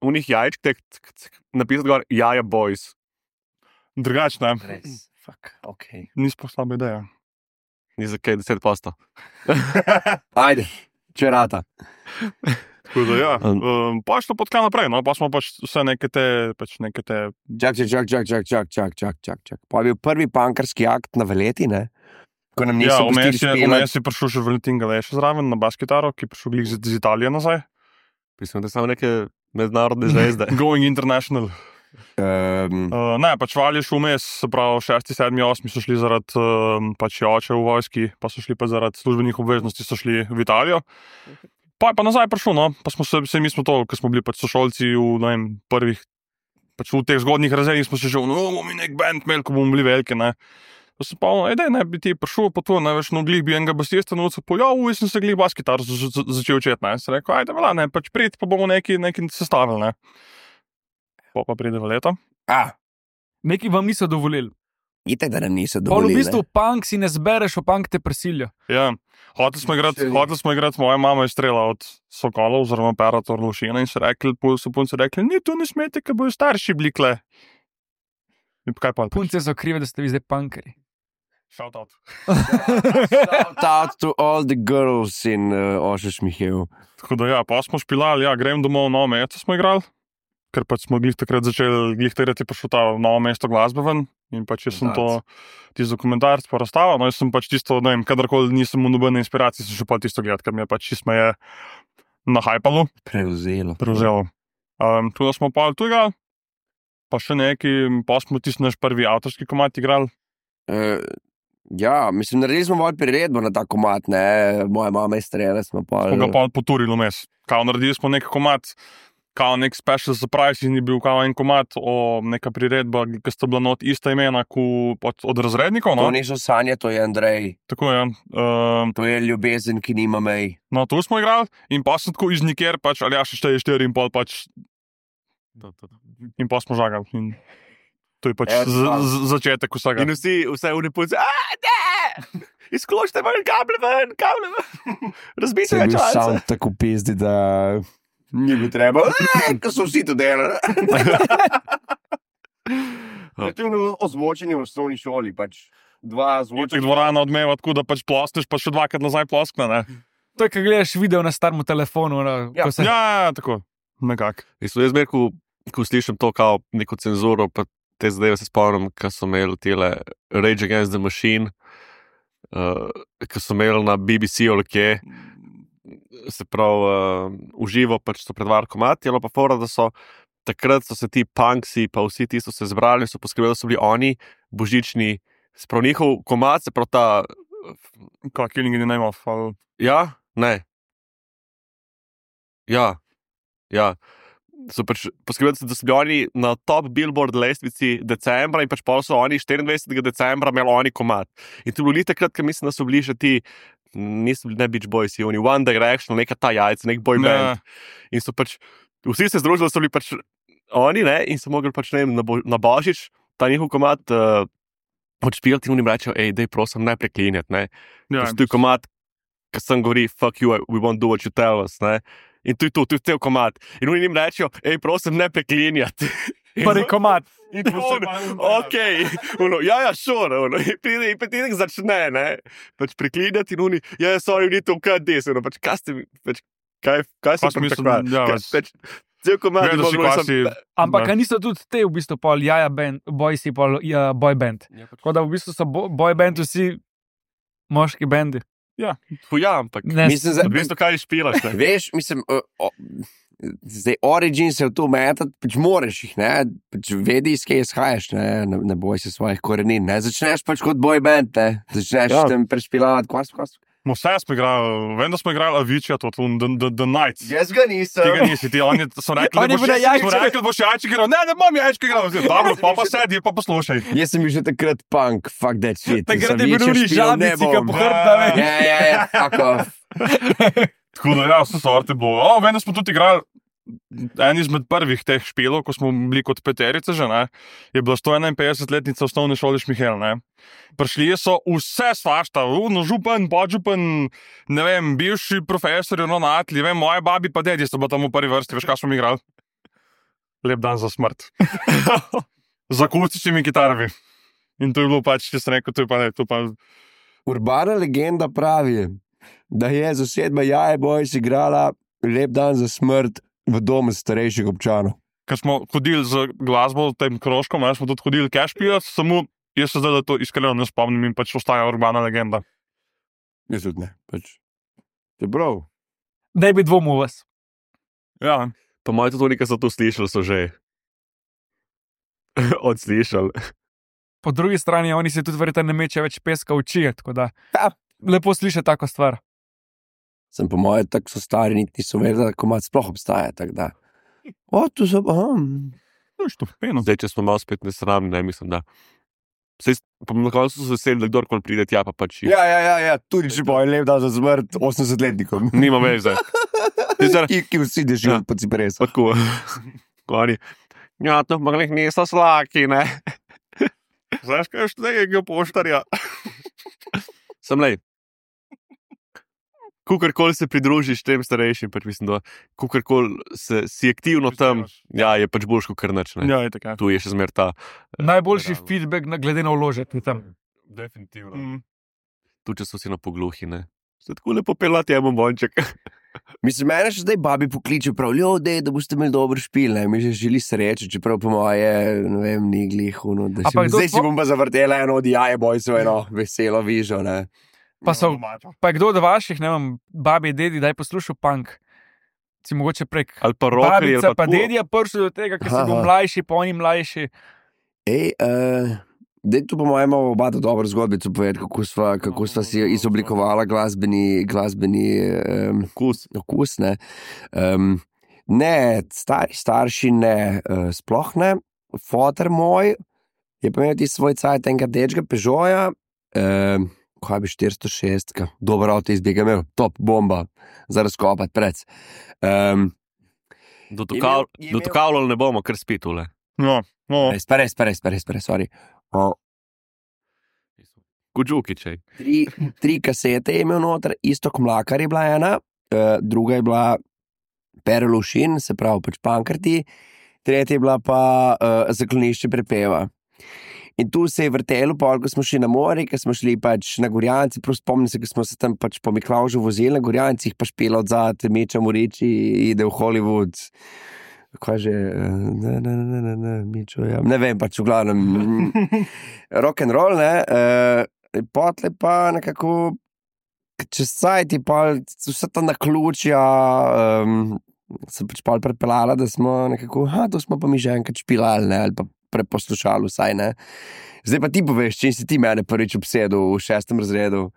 unih jajčk, tek, tek, tek, napisati gor Jaja Boys. Drugače, ne, Res, fuck, ok. ni sploh slaba ideja. Ni za kaj deset posto. Ajde, če rata. Tako da, ja, Um. um, pa je šlo pot kaj naprej, no, pa smo pač vse neke te, pač neke te, Čak, čak, čak, čak, čak, čak, čak, čak, čak, čak. Pa je bil prvi pankarski akt na Veleti, ne? Ko nam ja, niso vmes pustili je, špilati. vmes je prišel še Valentin Galeš zraven na bas-kitaro, ki je prišel glih iz, iz Italije nazaj. Mislim, da so samo neke mednarodne zvezde. Going International. Um, Uh, ne, pač vališ vmes, se pravi, šesti, sedmi, osmi so šli zaradi um, pač oče v vojski, pa so šli pa zaradi službenih obveznosti, so šli v Italijo. Pa je pa nazaj prišel, no, pa smo se, se mi smo to, ker smo bili pač sošolci v, ne vem, prvih, pač v teh zgodnjih razredih smo se že, no, bomo mi nek band imeli, ko bomo bili veliki, ne. Pa sem pa, ej, daj, ne bi ti prišel, pa to, ne veš, no, glih bi enega basista novca poljal, in sem se glih bas kitar začel učeti, ne. Sem rekel, ajde, vela, ne, pač prid, pa bomo neki, neki sestavili, ne. Pa pa pride v leto. a, Neki vam niso dovolili. itek, da nam niso Pol v dovolili. bistvu punk si ne zbereš, v punk te prisilijo. Ja, hoteli smo igrati, hoteli smo igrati, moja mama je strela od Sokola oziroma Perator Lušina in so rekli, pol so punci rekli, ni tu ne smete, ker bojo starši bili kle. In kaj pa? Punce so krive, da ste vi zdaj punkeri. Shout out. Shout out to all the girls in uh, Ošeš Mihev. Tako da ja, pa smo špilali, ja, grem domov v Novo mesto smo igrali, ker pač smo glih takrat začeli, glih takrat je prišel ta Novo mesto glasbe ven in pač jaz sem to, tisti dokumentarc pa razstava, no jaz sem pač tisto, ne vem, kadarkoli nisem v nobene inspiracije, sem še pa tisto gledati, ker mi je pač čisto me je nahajpalo, Prevzelo. prevzelo. Um, tu smo pa tu igrali, pa še neki, pa smo tisti naš prvi avtorski komad igrali. Uh, ja, mislim, naredili smo malo priredbo na ta komat, ne, moja mama je strela, smo pa... Smo ga pa poturili vmes. Kao naredili smo nek komad, kao nek special surprise in je bil kao en komad o neka priredba, ki sta bila not ista imena ku, od, od razrednikov, no? To niso sanje, to je Andrej, Tako je. Um, to je ljubezen, ki nima mej. no, tu smo igrali in pa sem tako iz niker, pač, ali ja, še šteje štiri in pol, pač, in pa smo žagali. In to je pač Evo, z, z, začetek vsega. In vsi, vse v punce, a ne, izkločite ven, kable ven, kable ven, razbite Se je ga bil časa. sam tako pizdi, da ni bi treba, ko so vsi to delali. Kreativno ozvočenje v osnovni šoli, pač dva Če zvočenja. dvorana odmeva tako, da pač plosneš, pa še dvakrat nazaj ploskne, ne? To je, ko gledaš video na starem telefonu. No, Ja. ko se... Ja, tako, nekako. Mislim, jaz zmeraj, ko, ko slišim to kao neko cenzuro, pa te zadeve se spomnim, ko so imeli tele Rage Against the Machine, uh, ko so imeli na B B C ali kje, se pravi, uh, uživo pač so predvajali komati, ali pa fora, da so takrat so se ti punksi, pa vsi ti so se zbrali in so poskrbeli, da so bili oni božični, se pravi njihov komat, se pravi ta, Kaj, Killing in the Name of, ali... ja, ne, ja, ja. So pač poskrbeli, da so bili oni na top Billboard lestvici decembra in pač pol so oni štiriindvajsetega decembra imeli oni komat. In to bilo li takrat, ker mislim, da so bili še ti, niso bili ne Beach Boys, oni One Direction, neka ta jajca, nek boy band. In so pač, vsi se združili, so bili pač oni, ne, in so mogli pač, ne vem, na, bo, na Božič ta njihov komat uh, odšpilati in oni rečejo, ej, dej prosim, ne preklinjati, ne. Ja, To je komat, ki sem govori, fuck you, we won't do what you tell us, ne. In to je to, to je cel komat. In oni jim rečejo, ej, prosim, ne preklinjati. Prvi komat. In tu se pa- Ok, uno, ja, ja, šor, uno, in pride in petinek začne, ne, pač preklinjati in oni, ja, sorry, we need to cut this, uno, pač kaj ste, pač, kaj, kaj Pa so smisel, pričakovali? ja, Kaj- pač- pač, cel komat, Gledal si, moglo kaj sem- si... Ampak Ne. a niso tudi te v bistvu pol jaja band, boysi pol ja, boy band. Tako da v bistvu so bo, boy band vsi moški bendi. Fu, ja, ampak, Ne, Mislim, za, veš, kaj špilaš, ne? veš, mislim, uh, o, zdaj Origin se v to metati, pač moraš jih, ne, pač vedi, iz kje izhajaš, ne, ne, ne boj se svojih korenin, ne, začneš pač kot boy band, ne, začneš Ja. tam prešpilavati, kva smo, kva smo. No, vse smo igrali, vem, da smo igrali Avicii, to, to, the, the, the Nights. Jaz ga nisem. Tega nisi, ti oni so rekli, Oni da boš bodo jajček, jajčke- so rekli, da boš jajček igral. Ne, ne bom jajček igral. Zdaj, Dobro, pa pa sedi, pa poslušaj. Jaz sem bil že takrat punk, fuck that shit. Takrat Sem je bil večer oni špilal, ne žabici, ki bom. po hrbta, veš. Ja, ja, ja, fuck off. Tako da ja, vse sorte bilo. O, vem, da smo tudi igrali en izmed prvih teh špilov, ko smo bili kot peterice že, ne, je bila sto enainpetdesetletnica osnovne šole Šmihel, ne. Prišli so vse svašta, no, župan, podžupan, ne vem, bivši profesor, ravnatelji, vem, moje babi pa dedi so bila tam v prvi vrsti, veš, kaj smo mi igrali? Lep dan za smrt. Z akustičnimi kitarami. In to je bilo pač, če sem rekel, to je pa ne, to pa... Urbana legenda pravi, da je zasedba Jaje Boys igrala Lep dan za smrt v domu starejših občanov. Ker smo hodili z glasbo, tem krožkom, ne, smo tudi hodili cash pijati, samo jaz se zdaj, da to iskreno ne spomnim in pač ostaja urbana legenda. Jaz tudi ne, pač. Čeprav. Ne bi dvomil v vas. Ja, Pa moji tudi oni, ki so to slišali, so že. odslišali. Po drugi strani, oni se tudi verjetno ne meče več peska v oči, tako da Ja. lepo sliši tako stvar. Sem po mojem, tako so stari, niti niso vedeli, da komat sploh obstaja. Tako da. O, tu so, aha. To je štofeno. Zdaj, če smo malo spet nesramni, ne mislim, da. Sej, pa na koncu so se veseli, da kdorkoli pride tja, pa pač jih. Ja, ja, ja, ja, tudi če bo lep dan za smrt osemdesetletnikom. Nima veze. Ti zdaj- Ki, ki vsi dežijo Ja. po cipresu. Tako. Oni. Ja, to pa glih niso slaki, ne. Znaš, kaj je štega poštarja? Sem lej. Kukorkoli se pridružiš tem starejšim, pač mislim, da kukorkoli se, si aktivno tam, ja, je pač boljš kot krnač, ne. Ja, je tako. Tu je še zmer ta. Najboljši Ravno. feedback na, glede na vložek je tam. Definitivno. Mm. Tu, če so si na pogluhi, ne. Se tako lepo pelati, je bombonček. Mislim, mene še zdaj babi pokliče prav, ljudje, da boste imeli dober špil, ne, mi že želi sreče, čeprav po moje, ne vem, ni glih, no, da A si, pa kdo zdaj si tvo- bom pa zavrtela eno od jaje, boj se eno veselo vižo, ne. Pa so- Pa je kdo od vaših, ne vem, babi, dedi, daj poslušal punk. Si mogoče prek Ali pa rokerji, ali babica, pa pa tako. dedija prišel do tega, ker si Aha. bil mlajši, pa oni mlajši. Ej, uh, dej tu po mojem imamo oba dobro zgodbico povedati, kako sva, kako sva si izoblikovala glasbeni, glasbeni um, Kus. okus, ne. Um, ne, stari starši ne, uh, sploh ne. Foter moj je pa imel ti svoj cajt enega dečga Peugeota, um, kaj bi štiristo šest, dober avto izbega imel, top bomba, za razkopati pred. Um, Dotukal, Je imel- je imel- dotukavljali ne bomo, ker spi tule. No, no. res, pa res, pa res, pa res, pa res, sorry. O, Kudžukičej. tri, tri kasete je imel noter, isto Mlakar je bila ena, uh, druga je bila Perelušin, se pravi pač Pankrti, tretja je bila pa uh, Zaklonišče prepeva. In tu se je vrtelo, pol, ko smo šli na morje, ko smo šli pač na Gorjance, prav spomnim se, ko smo se tam pač po Miklavžu vozili na Gorjancih, pa špela od zate, meča v reči, ide v Hollywood. Kaj že, eh, ne, ne, ne, ne, ne, Mičo, ja. Ne vem, pač v glavnem, rock and roll, ne, uh, potle pa nekako, čez sajti pa vse ta naključja, um, sem pač pol prepeljala, da smo nekako, ha, to smo pa mi že enkrat špilali, ne, ali pa preposlušali vsaj, ne. Zdaj pa ti poveš, če si ti mene prvič obsedel v šestem razredu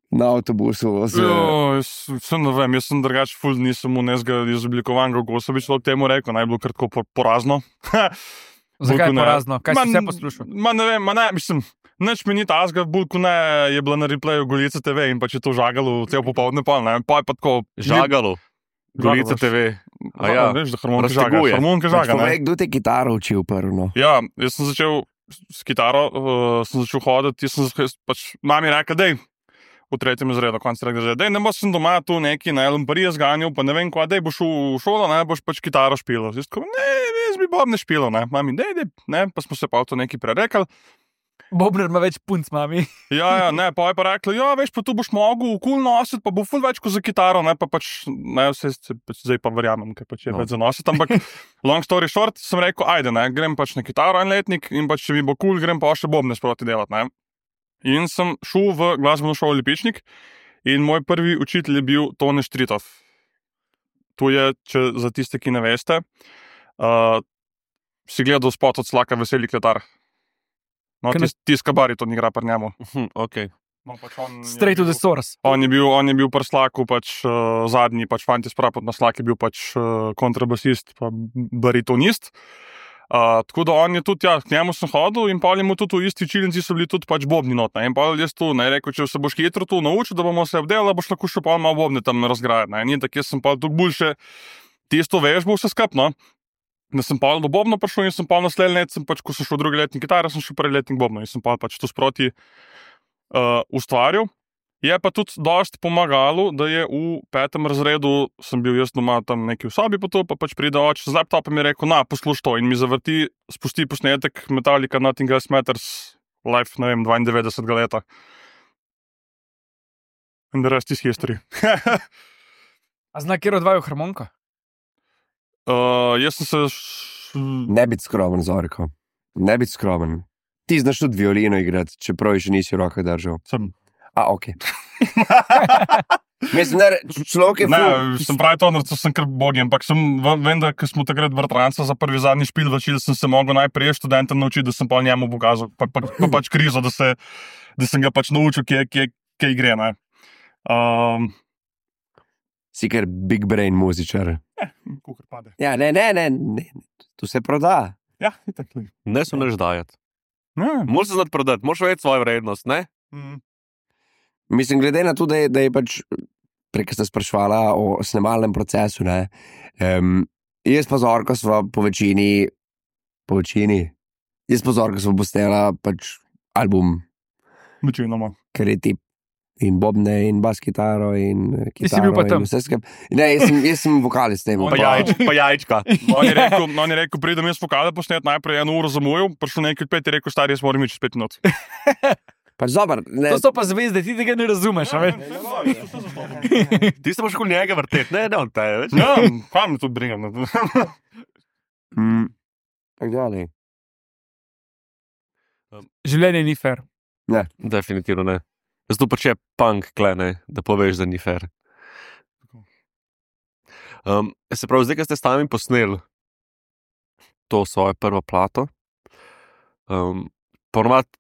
na avtobusu z... Jo, jaz sem ne vem, jaz sem drugač ful, nisem mu nezga izoblikovan, kako so bi človek temu rekel, naj bilo kar tako por- porazno. Zakaj Bolj kot ne. porazno? Kaj Ma, si vse poslušal? Ma ne vem, ma ne, mislim, nič mi ni tazga, bolj kot ne je bila na replayu Golica te ve in pa če to žagalo cel popoldne pol, ne, pa je pa tako... Žagalo. Golica te ve. A ja, veš, da harmonika žaga, razteguje. harmonika Pač žaga, ne. povej, kdo te kitaro učil prvo, no? Ja, jaz sem začel s kitaro, uh, sem začel hoditi, jaz sem jaz pač mami rekel, dej, v tretjem razredu, konc tretjega razreda, dej, ne boš sem doma tu neki, ne, lumparije zganjal, pa ne vem kva, dej, boš v šolo, ne, boš pač kitaro špilal. Jaz tako, ne, jaz bi bob ne špilal, ne, mami, dej, dej, ne, pa smo se pa to neki prerekali. Bobner ima več punc, mami. Ja, ja, ne, pa je pa rekla, ja, veš, pa tu boš mogel kul nositi, pa bo ful več kot za kitaro, ne, pa pač, ne, vse, se, pač zdaj pa verjamem, ker pač je No. več za nositi, ampak long story short, sem rekel, ajde, ne, grem pač na kitaro en letnik in pač, če mi bo kul, grem pa še bobne sproti delati, ne. In sem šel v glasbeno šolo Lipičnik in moj prvi učitelj je bil Tone Štritov. Tu je, če za tiste, ki ne veste, uh, si gledal spot od Slaka Veseli kletar. No, Kaj ne- tis, tiska bariton igra pri njemu. Hm, okay. No, pač on je Straight to the bil- source. On je bil, on je bil pri Slaku pač uh, zadnji, pač fanti sprapot na Slak je bil pač uh, kontrabasist, pa baritonist. Uh, tako da on je tudi, ja, k njemu sem hodil in pa je mu tudi v isti čilinci so bili tudi pač bobni not. Ne? In pa jaz tu, ne, rekel, če se boš hitro tu naučil, da bomo se obdelali, boš lahko še pa malo bobne tam razgrajati. Ne? In tako jaz sem pa tu boljše tisto vežbo vse skupno. Da sem pa do bobno prišel in sem pa naslednji let, sem pač, ko sem šel v drugi letnik kitare, sem šel prvi letnik bobno in sem pa pač to sproti uh, ustvaril. Je pa tudi dosti pomagalo, da je v petem razredu, sem bil jaz doma tam neki v sobi, pa to pa pač pride oče z laptopom in je rekel, na, poslušaj to in mi zavrti, spusti posnetek Metallica Nothing Else Matters, live, ne vem, dvaindevetdesetega leta. And the rest is history. A zna, kjer odvajajo harmonika? uh, jaz sem se... Š... Ne biti skromen, Zorko. Ne biti skromen. Ti znaš tudi violino igrati, čeprav je še nisi v rokah držal. Sem. A, ok. Mislim, da človek je Ne, ful. sem pravi to, da sem kar bogi, ampak sem, vem, da ko smo takrat vrtranca za prvi zadnji špil začeli, sem se mogel najprej študentom naučiti, da sem pa njemu pokazal, pa, pa, pa pač krizo, da, se, da sem ga pač naučil, kje, kje, kje gre. Ne. Um, Si kar big brain muzičar. Kukor pade. Ja, ne, ne, ne, ne. Tu se proda. Ja, itak. li. Ne so neč dajati. Ne. Moraš se znati prodati, moraš vedeti svojo vrednost, ne? Mm. Mislim, glede na to, da je, da je pač prej ste sprašvala o snemalnem procesu, ne. Um, jaz pa Zorko sva po večini, po večini, jaz pa Zorko sva postela pač album, Večinoma. ker je tip in bobne in bas kitaro in eh, Ti si bil kitaro pa in tam. vse skupaj. Ne, jaz sem, jaz sem vokalist, ne bom. Pa, jajč, pa jajčka. On je rekel, no, on je rekel pridem jaz vokale posnet, najprej eno uro zamujal, prišel nekaj pet, je rekel, stari, jaz moram iti čez pet minut. Pač dober, ne. To so pa zvezde, ti tega ne razumeš, a veš? Ti se boš kot njega vrteti, ne, ne on te, več. Ja, kam me to brigam? Mm, tako dalje. Življenje ni fair. Definitivno ne. Zato pač je punk, klene, da poveš, da ni fair. Um, se pravi, zdaj, ko ste sami posneli to svojo prvo plato, um, ponovadi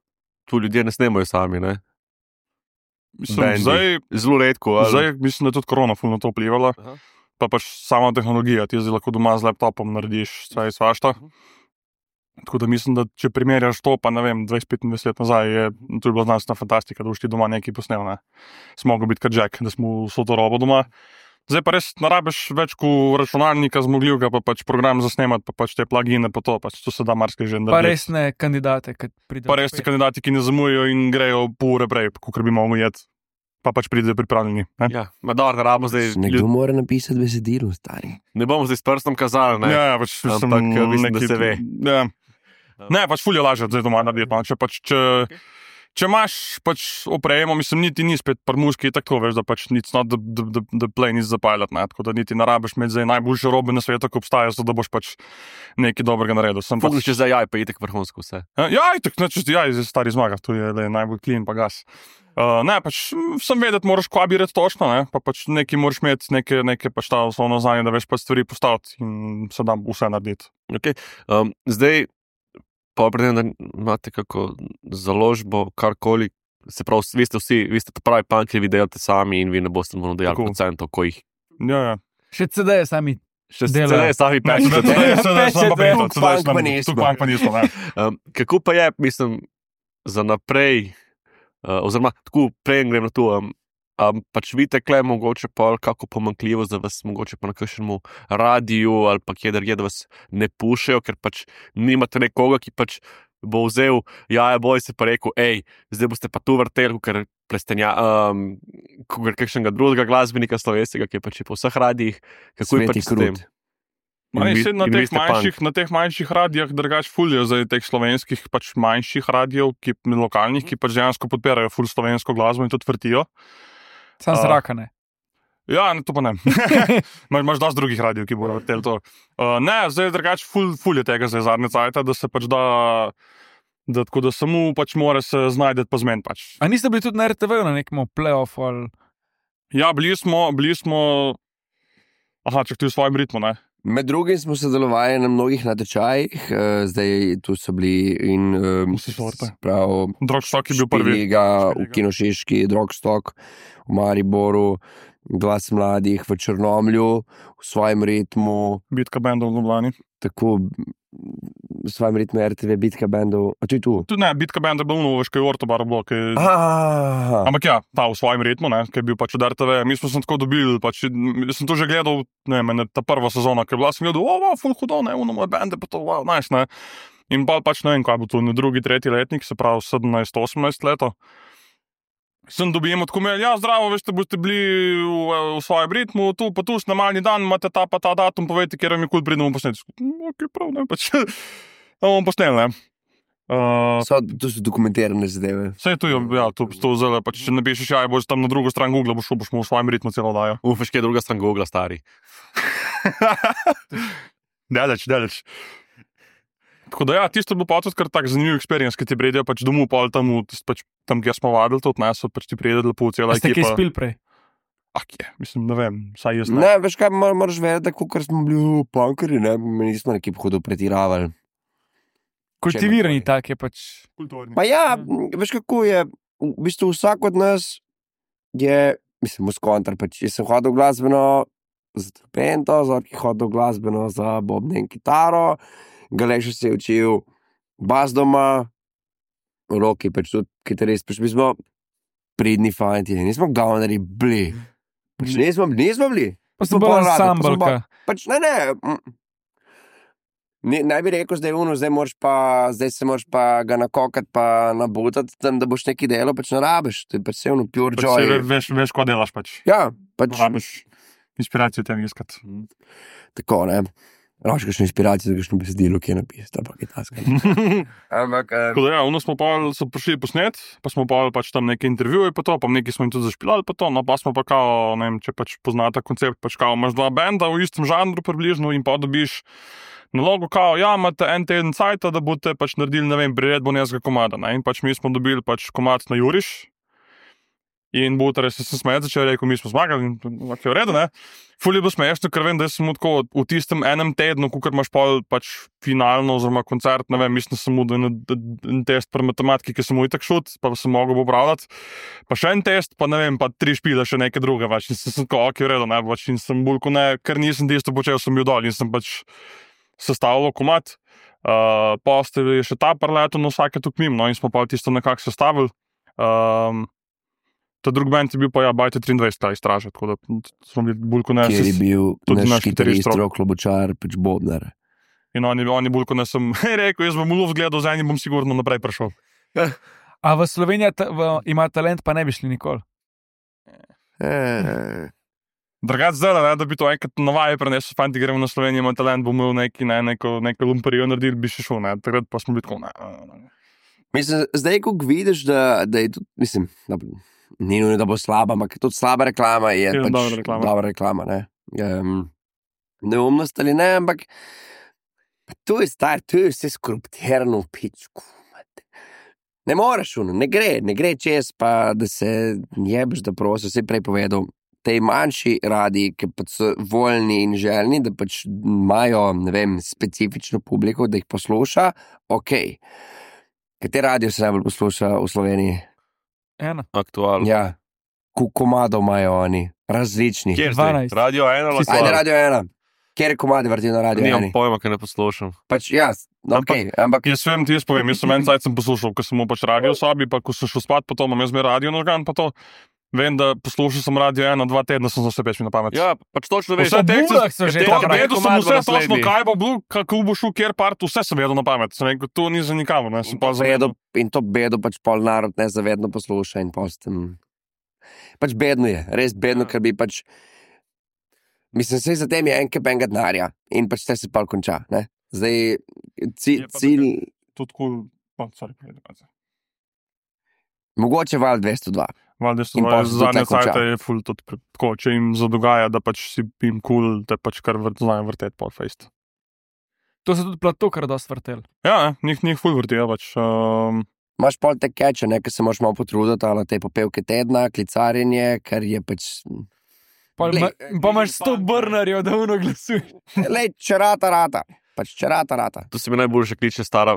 tu ljudje ne snemajo sami, ne? Mislim, Bendi. zdaj, Zelo redko. Ali... zdaj mislim, da je tudi korona ful na to vplivala. Aha. Pa pač sama tehnologija, ti zdaj lahko doma z laptopom narediš vse in svašta. Tako da mislim, da če primerjaš to, pa ne vem, dvajset petindvajset let nazaj, je to je bila znanstvena fantastika, da boš ti doma nekaj posnel. Ne. Smo mogli biti kot Jack, da smo vso to robo doma. Zdaj pa res narabiš več kot računalnika zmogljivega, pa pač program za snemati, pa pač te plugine, pa to, pač to se da marsikaj že Pa narediti. resne kandidate, ki pridejo. Pa res ti kandidati, ki ne zamujajo in grejo pol ure prej, kot bi mogli jeti, pa pač pridejo pripravljeni. Ne, Ja, ma dobro, ne rabimo zdaj. Nekdo Ljud... mora napisati besedilo, stari. Ne bomo zdaj s prstom kazali, ne? ja, pač Ampak, sem eh, mislim, da neki- se ve. Ja. Ne, pač ful je lažje zdaj doma narediti. No. Če, pač, če, če imaš pač opremo, mislim, niti ni spet par muški, tako veš, da pač it's not the, the, the, the plane is the pilot, ne, tako da niti ne rabiš imeti zdaj najboljše robe na svetu, ko obstajajo, zato da boš pač nekaj dobrega naredil. Sem Fokus pač, če za jaj, pa je tako vrhunsko vse. ja, itak, neč, ja, zdaj stari zmaga, tu je le, najbolj clean pa gas. Uh, ne, pač sem vedeti, moraš kvabirati točno, ne, pa pač nekaj moraš imeti, nekaj, nekaj pač ta osnovno znanje, da veš pač stvari postaviti in se da vse narediti. Okay. Um, zdaj, pa predem, da imate kako založbo, karkoli, se pravi, vi ste vsi, vi ste ta pravi punk, ki vi delate sami in vi ne boste mu dejali Tako. procentov, ko jih Ja, ja. Še C D-je sami. še Delajo. ne sami Ne, pečete. sedaj- sedaj- sedaj sem pa Pečete. prišel, sedaj Punk pa sem- nismo. tu punk pa nismo, ne. Um, kako pa je, mislim, za naprej, uh, oziroma tako prej grem na to, um, um, pač vidite, kle mogoče pa kako pomankljivo, da vas mogoče pa na kakšnemu radiju ali pa kjer je, da vas ne pušajo, ker pač nimate nekoga, ki pač bo vzel jaja boj se pa rekel, hej, zdaj boste pa tu vrteli, ker prestenja, um, ker kakšnega drugega glasbenika slovenskega, ki je pač po vseh radijih, kako je Sveti pač s tem? krut. Ma ne, In vi- saj na, in vi teh ste punk. manjših, na teh manjših radijah drugač fulijo zdaj teh slovenskih pač manjših radijev, ki, lokalnih, ki pač dejansko podpirajo ful slovensko glasbo in tudi vrtijo. Sam A. zraka ne. Ja, ne, to pa ne. Imaš imaš dosti drugih radijev, ki bodo vrteli to. Uh, ne, zdaj drugač ful, ful je tega zdaj zadnje cajta, da se pač da, da tako da samo pač mora se znajdeti pa zmen pač. A niste bili tudi na R T V-ju na nekem play-offu ali... Ja, bili smo, bili smo, aha, čak ti v svojem ritmu, ne. Med drugim smo sodelovali na mnogih natečajih, uh, zdaj tu so bili in um, Vse sorte. prav Drogstock je bil prvi. Špiliga, v Špiliga. Kinošiški, Drogstock, v Mariboru, Glas mladih v Črnomlju, v svojem ritmu, Bitka bendov v Ljubljani. tako v svojem ritmu R T V, bitka bendov, a tu je tu. Tudi ne, bitka bendov je bil v Veškej Ortobar blok. Je... Aha, Ampak ja, ta v svojem ritmu, ne, ki je bil pač od R T V. Mi smo se tako dobili, pač, jaz sem to že gledal, ne vem, ta prva sezona, ki je bila, sem gledal, o, wow, full hudo, ne, uno moje bende, pa to, wow, nice, ne. In pa pač ne vem, kaj bo to, ne drugi, tretji letnik, se pravi sedemnajst osemnajst leto. Sem dobil tako mail, ja, zdravo, veste, boste bili v, v svojem ritmu, tu pa tu snemalni dan, imate ta pa ta datum, povejte, kjer vam je kul pridemo posneti. Ok, prav, ne, pač, da bomo posneli, ne. Uh, so, to so dokumentirane zadeve. Vse je tu, ja, tu, tu zelo, pač, če ne pišeš, ja, boš tam na drugo stran Google, boš šel, boš mu v svojem ritmu celo dajo. Ufeš, kje je druga stran Google, stari. Daleč, daleč. Tako da ja, tisto je bilo pa tudi kar tak zanimiv experience, ki ti pridejo pač domov, pol tam, v- pač, tam, kjer smo vadili, tudi ne, so pač ti prijedeli lepo cela A ste kaj ekipa. spil prej? Ah, je, mislim, ne vem, saj jaz ne. Ne, veš kaj, mor, moraš vedeti, da kot smo bili punkeri, ne, mi nismo neki hudo pretiravali. Kultivirani tak je pač. Kulturni. Pa ja, veš kako je, v bistvu vsak od nas je, mislim, muskontar, pač jaz sem hodil glasbeno za trpento, Zorki hodil glasbeno za bobne in kitaro, Galeš se je učil bas doma, Roki pač tudi kitarist, pač mi smo pridni fanti, nismo gavneri bili. Pač nismo, nismo bili. Pa sem bolj ansambelka. Pač ne, ne. mm. Ne, ne bi rekel, zdaj uno, zdaj, moraš pa, zdaj se moraš pa ga nakokati, pa nabutati, tam, da boš neki delo, pač ne rabiš. To je pač vse ono pure Pač joy. se veš, veš, ko delaš pač. Ja, pač Rabiš inspiracijo tem iskati. tako, ne. Rabiš kakšno inspiracijo, za kakšno besedilo, ki je napisal, pa kaj taska. Ampak, eh, Tako da ja, ono smo pa so prišli posnet, pa smo pa pač tam neke intervjuje, pa to, pa nekaj smo jim tudi zašpilali, pa to, no pa smo pa kao, ne vem, če pač poznate koncept, pač kao imaš dva benda v istem žanru približno in pa dobiš nalogo, kao, ja, imate en teden cajta, da boste pač naredili, ne vem, priredbo nekega komada, ne, in pač mi smo dobili pač komad na Juriš, in Butar se sem smejet začel, rekel, mi smo zmagali, in ok, v redu, ne. Ful je bilo smešno, ker vem, da sem mu tako v tistem enem tednu, kukor imaš pol pač finalno oziroma koncert, ne vem, mislim, da sem mu dal en, en test pri matematiki, ki sem mu itak šut, pa sem mogel popravljati, pa še en test, pa ne vem, pa tri špile, še neke druge, pač, in sem sem tako, ok, v redu, ne, pač, in sem bolj, ko ne, ker nisem tisto počel, sem bil dol, in sem pač sestavljal komad, uh, pa ste še ta parleto, no vsake tu mimo, no, in smo pa tisto nekako sestavili. Um, Ta drug band je bil pa ja, Bajte triindvajset, ta izstraža, tako da smo bili bolj kot ne. kjer je bil tudi naš naš kitarist kitarist, Rok. Rok Lobočar, pač Bobnar. In oni, oni bolj kot ne sem rekel, jaz bom v luft gledal, z enim bom sigurno naprej prišel. A v Sloveniji ta, v, ima talent, pa ne bi šli nikoli. Eh, Drugače zdaj, ne, da bi to enkrat na vaje prenesel, fanti gremo na Slovenijo, ima talent, bomo imeli neki, ne, neko, neko lumperijo naredili, bi še šel, ne, takrat pa smo bili tako, ne, ne, ne. Mislim, zdaj, ko vidiš, da, da je tudi, mislim, da, ni nujno, da bo slaba, ampak tudi slaba reklama je Je pač dobra reklama. dobra reklama, ne. Um, neumnost ali ne, ampak pa to je star, to je vse skoruptirano v pičku. mate. Ne moreš, uno, ne gre, ne gre čez, pa da se jebeš, da prosi, vse prej povedal. Te manjši radi, ki pač so voljni in željni, da pač imajo, ne vem, specifično publiko, da jih posluša, ok. Kateri radio se najbolj posluša v Sloveniji? Ena. Aktualno. Ja, koliko komadov imajo oni, različnih. Kjer zdaj? dvanajst. Radio ena, Vsi so- Ajde, Aktualno. radio ena. Kjer komadi vrtijo na radio Nimam ena? pojma, ker ne poslušam. Pač ja, ok, ampak Jaz vem, ti jaz povem, jaz sem en cajt sem poslušal, ko sem mu pač radio v sobi, pa ko sem šel spat, pa to imam jaz zmer radio nažgan, pa to. Vem, da poslušal sem radio ena, dva tedna sem za vse peč mi na pamet. Ja, pač točno veš. Vse tekste- bulah so že te- tam, te- Vedel sem komad bo vse točno, naslednji. kaj bo bil, kako bo šel, kjer part, vse sem vedel na pamet. Sem rekel, to ni za nikamor, ne, sem pa bedo, zavedel. in to bedo pač pol narod nezavedno posluša in pol s tem. Pač bedno je, res bedno, ker bi pač, mislim, vse za tem je en kep enega denarja in pač te se pol konča, ne. Zdaj, ci, Je pa cilj, Tudi kul, oh, sorry, povedi, pa se. mogoče val dvesto dva. Valjda so In pol se tudi zadnje tako konča. cajte je ful tudi pre- tako, če jim zadogaja, da pač si jim kul, cool, da pač kar vrt, znajo vrteti pol fejst. To se tudi plato, kar dost vrtel. Ja, ne, njih, njih ful vrtijo pač. Um, Imaš pol te keče, ne, ker se moraš malo potruditi, ali te popevke tedna, klicarjenje, ker je pač, Pa, Glej, ma, pa imaš sto brnarjev, da uno glasuješ. lej, če rata, rata, pač če rata, rata. To se mi najboljše kliče stara.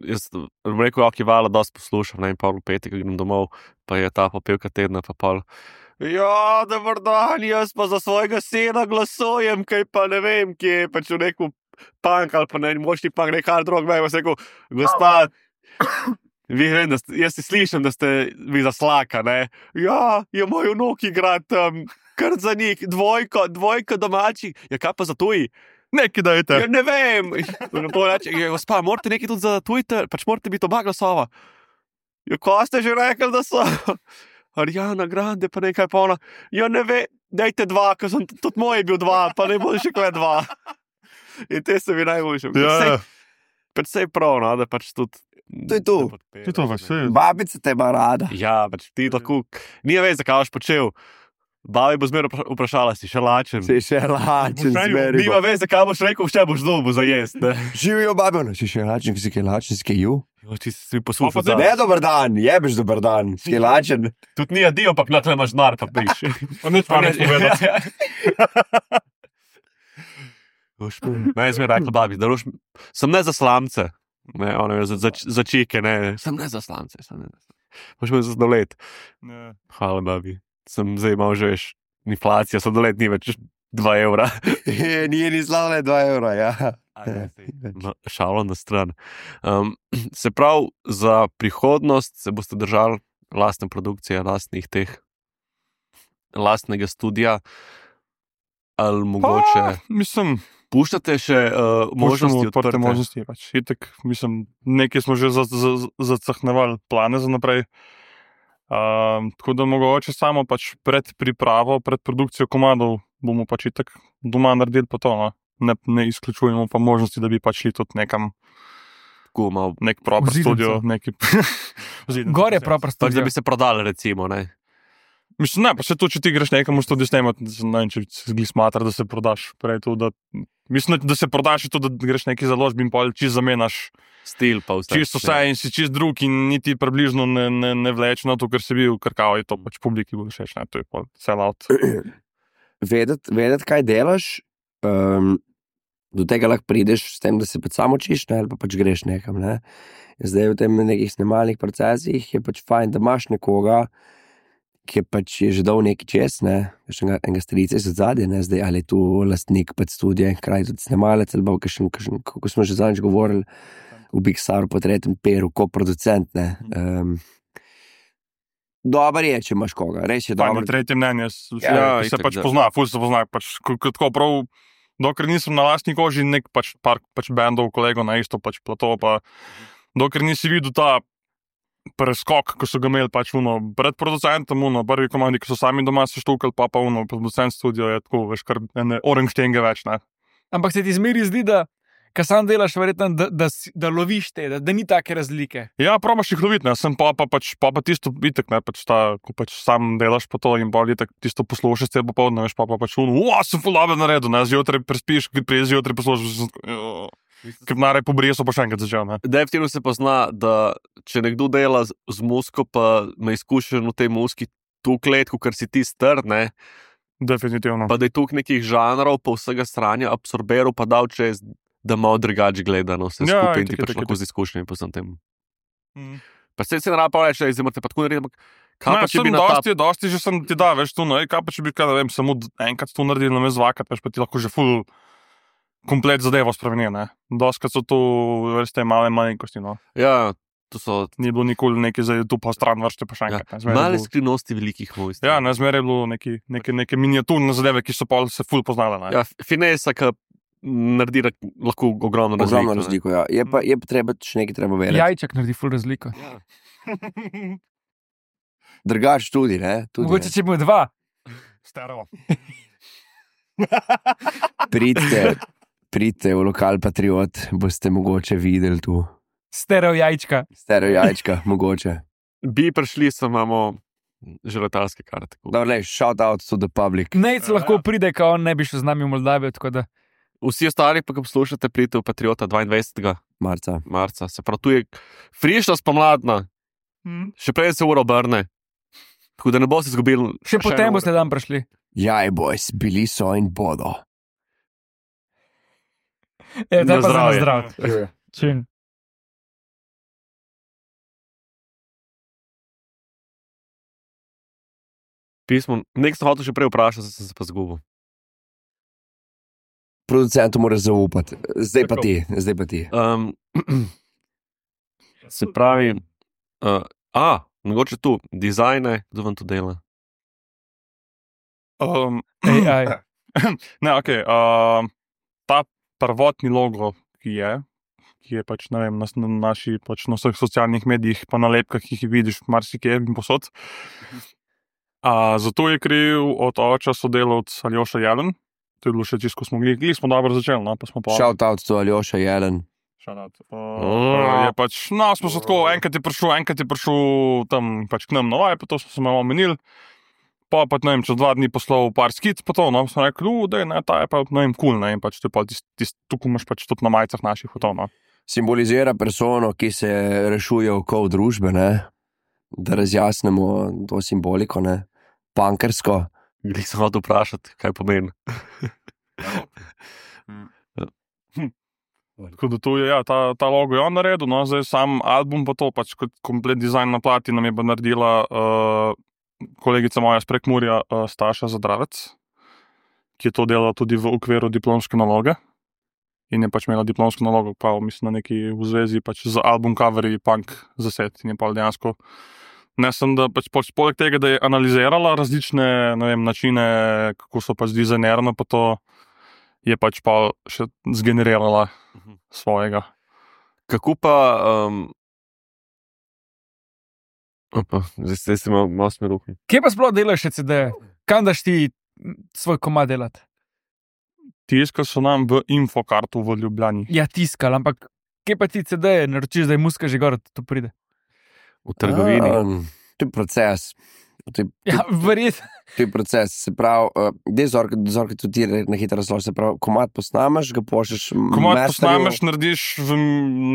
Jaz bom rekel, ok, vala, dosti poslušam, ne, in pol v petek grem domov, pa je ta popevka tedna, pa pol. Ja, dober dan, jaz pa za svojega sina glasujem, kaj pa ne vem, kje je pač v neku punk ali pa ne, močni punk, nek hard rock, me je rekel, gospa, vi vem, da ste, jaz si slišim, da ste vi za slaka, ne. Ja, je moj vnuk igra tam, kar za njih, dvojko, dvojko domačih, ja, kaj pa za tuji? Neki dajte. Ja, ne vem. Reče, ja, gospa, morate nekaj tudi za Twitter, pač morate biti oba glasova. Ja, ko ste že rekli, da so Ariana Grande, pa nekaj polna. Ja, ne ve, dajte dva, ker sem tudi moj je bil dva, pa ne bo še kle dva. In te se mi najboljše. Ja, Predvsej prav, no, da pač tudi. To je to. ti to veš, vse. Babica te ima rada. Ja, pač ti lahko, ni veš, zakaj boš počel. Babi bo zmeraj vpra- vprašala, si še lačen. Si še lačen, zmeri. Nima veze, kaj boš rekel, še boš dobil za jesti. ne. Živijo babi, no, si še lačen, si kaj lačen, si kaj ju. Jo, Ti si poslušal. Pa pa Ne, dober dan, jebeš dober dan, si kaj lačen. Tudi ni adijo, pa na tle imaš denar, pa piš. Pa nič pa ne povedati. Ne, zmeraj rekla babi, da roš, sem ne za slamce. Ne, ona je za, za, za čike, ne, sem ne za slamce. Sem ne za slamce. Moš me zadolet. Ne. Hvala, babi. Sem zdaj imel že veš, inflacija, zadolet ni več dva evra. Nije ni slavne dva evra, ja. No, šalo na stran. Um, se pravi, za prihodnost se boste držali lastne produkcije, lastnih teh, lastnega studia, ali mogoče Pa, mislim, puščate še uh, možnosti možnosti odprte odprte. možnosti. Pač. Itek, mislim, nekaj smo že za- za- zacahnevali plane za naprej. Um, tako da mogoče samo pač pred pripravo, pred produkcijo komadov bomo pač itek doma naredili pa to. No. Ne, ne izključujemo pa možnosti, da bi pač šli tudi nekam, Tako malo, nek proper V Zidanico. studio, neki. V Zidanico, Gor je ja. proper pač, da studio. bi se prodali, recimo. Ne? Mislim, ne, pa se tu, če ti greš nekam v studio snemati, ne vem, če se zgli smatra, da se prodaš. Prej to, da, mislim, da se prodaš in to, da greš neki založbi in pol čisto zamenjaš Stil pa vse. čisto vse in si čist drug in niti približno ne, ne, ne vleč na to, ker si bil, ker kao je to pač publiki bo všeč, ne, to je pol sell out. Vedeti, vedet, kaj delaš, um, do tega lahko prideš s tem, da se pač samo učiš, ne, ali pa pač greš nekam. Ne. Zdaj v tem nekih snemalnih procesih je pač fajn, da imaš nekoga, ki je pač je že dal neki čez, ne, veš, enega, enega strica iz odzadja, ne, zdaj ali je tu lastnik pač studija in hkrati tudi snemalec, ali pa kakšen, kakšen, kako smo že zadnjič govorili, v Big Staru po tretjem peru, koproducent, ne. Um, Dobar je, če imaš koga, res je Fajn dobro. je tretje mnenje, s- Ja, ja, se itak, pač da. pozna, ful se pozna, pač ko- ko tako prav, dokler nisem na lastni koži nek pač par pač bendov, kolegov na isto pač plato, pa dokler nisi videl ta preskok, ko so ga imeli pač uno, pred producentom, uno, prvi komandi, ki so sami doma se štukali, pa pa uno, producent studio je tako, veš, kar ene oranštenge več, ne. Ampak se ti zmeri zdi, da kar sam delaš, verjetno, da, da, si- da loviš te, da, da ni take razlike. Ja, probaš jih loviti, ne, sem pa, pa pač, pa pa tisto itek, ne, pač ta, ko pač sam delaš pa to in pa itek tisto poslušaš cel popoldne, veš, pa pa pač uno, uo, sem ful dobro naredil, ne, zjutraj prespiš, prej zjutraj poslušaš, sem tako, "Jo." Ker naraj pobrije so pa še enkrat začel, ne. Definitivno se pozna, da če nekdo dela z, z musko, pa ima izkušen v tej muski tu kletko, ker si ti star, ne, Definitivno. pa da je tu nekih žanrov, pa vsega stranja absorbiral, pa dal čez, da malo drugače gleda na vse Ja, skupaj in itak, ti pač itak, lahko itak. z izkušnjami po vsem tem. Mm. Pa se se ne raba reči, da zdaj morate pa tako narediti, ampak kaj Ne, pa če sem bi na ta... dosti, dosti že sem ti da, veš, tu, no, ej, kaj pa če bi, kaj, ne vem, samo d- enkrat to naredil, na me zvakrat, veš, pa ti lahko že ful komplet zadevo spremeni, ne. Doskrat so tu, veš, te male malenkosti, no. Ja, to so Ni bilo nikoli nekaj za tu pa stran vršte pa še ja, enkrat. ne. Zmeraj je male bilo- skrivnosti velikih mojstrov. Ja, ne, zmeraj je bilo neke, neke, neke miniaturne zadeve, ki so pa se ful poznale, ne. Ja, finesa, ki naredi ra- lahko ogromno razliko. Ogromno ne. razliko, ja. Je pa, je pa treba še nekaj treba vedeti. Jajček naredi ful razliko. Ja. Drugač tudi, ne. Tudi, Mogoče ne. če bo dva. Stereo. Pridite, pridite v lokal Patriot, boste mogoče videli tu. Stereo jajčka. Stereo jajčka, mogoče. Bi prišli, samo imamo že letalske karte. Dobro, le, shout out to the public. Nejc Ja, lahko ja. pride, ko on ne bi šel z nami v Moldavijo, tako da Vsi ostali, pa ko poslušate, pridite v Patriota dvaindvajsetega Marca. marca. Se pravi, tu je frišna spomladna, Mm. še prej se ura obrne. Tako da ne boste izgubili. še potem boste dan prišli. Jaj, boys, bili so in bodo. E, Na zdaj pa za zdravje. zdrav. Čim. Pismo, nek sem hotel še prej vprašati, sem se pa zgubil. Producentu moraš zaupati. Zdaj pa Tako. ti, zdaj pa ti. Um, se pravi, uh, a, mogoče tu, dizajne, kdo vam to dela? Um, A I. ne, ok. Um, ta prvotni logo, ki je, ki je pač, ne vem, na, na naši, pač na vseh socialnih medijih, pa na lepkah, ki jih vidiš marsikje in posod. A, zato je kriv od oča sodelavc Aljoša Jelen. To je bilo še čisto, ko smo gledali, smo dobro začeli, no, pa smo pa... Shout out to Aljoša Jelen. Shout out. Uh, je pač, no, smo se tako, enkrat je prišel, enkrat je prišel tam pač k nam na vaj, pa to smo se malo omenili. pa pa, ne vem, čez dva dni poslal par skic, pa to, no, sem rekel, u, dej, ne, ta je pa, ne vem, kul, ne, in pač to je pa tist, tist, tukaj imaš pač tudi na majicah naših v to, no. Simbolizira persono, ki se rešuje okoli družbe, ne? Da razjasnimo to simboliko, ne? Punkersko. Nisem hotel vprašati, kaj pomeni. Tako da tu je, ja, ta, ta logo je on naredil, no, zdaj sam album pa to, pač kot komplet dizajn na plati nam je pa naredila uh, kolegica moja z Prekmurja, uh, Staša Zadravec, ki je to delala tudi v okviru diplomske naloge in je pač imela diplomsko nalogo, pa mislim na neki v zvezi pač z album coverji punk zased in je pa dejansko ne sem, da pač poleg tega, da je analizirala različne, ne vem, načine, kako so pač dizajnirano, pa to je pač pa še zgenerirala svojega. Kako pa... Um... Opa, zdaj, zdaj se malo, malo sme ruhni. Kje pa sploh delaš še C D-je? Kam daš ti svoj komad delati? Tiskali so nam v Infokartu v Ljubljani. Ja, tiskal, ampak kje pa ti C D-je naročiš, da je muska že gor, da to pride? V trgovini. Um, to je proces. To je, Ja, verjetno. to je proces. Se pravi, uh, dej zorka, zorka tudi ti na hitro razloži. Se pravi, komad posnameš, ga pošleš Komad masterju. posnameš, narediš, v,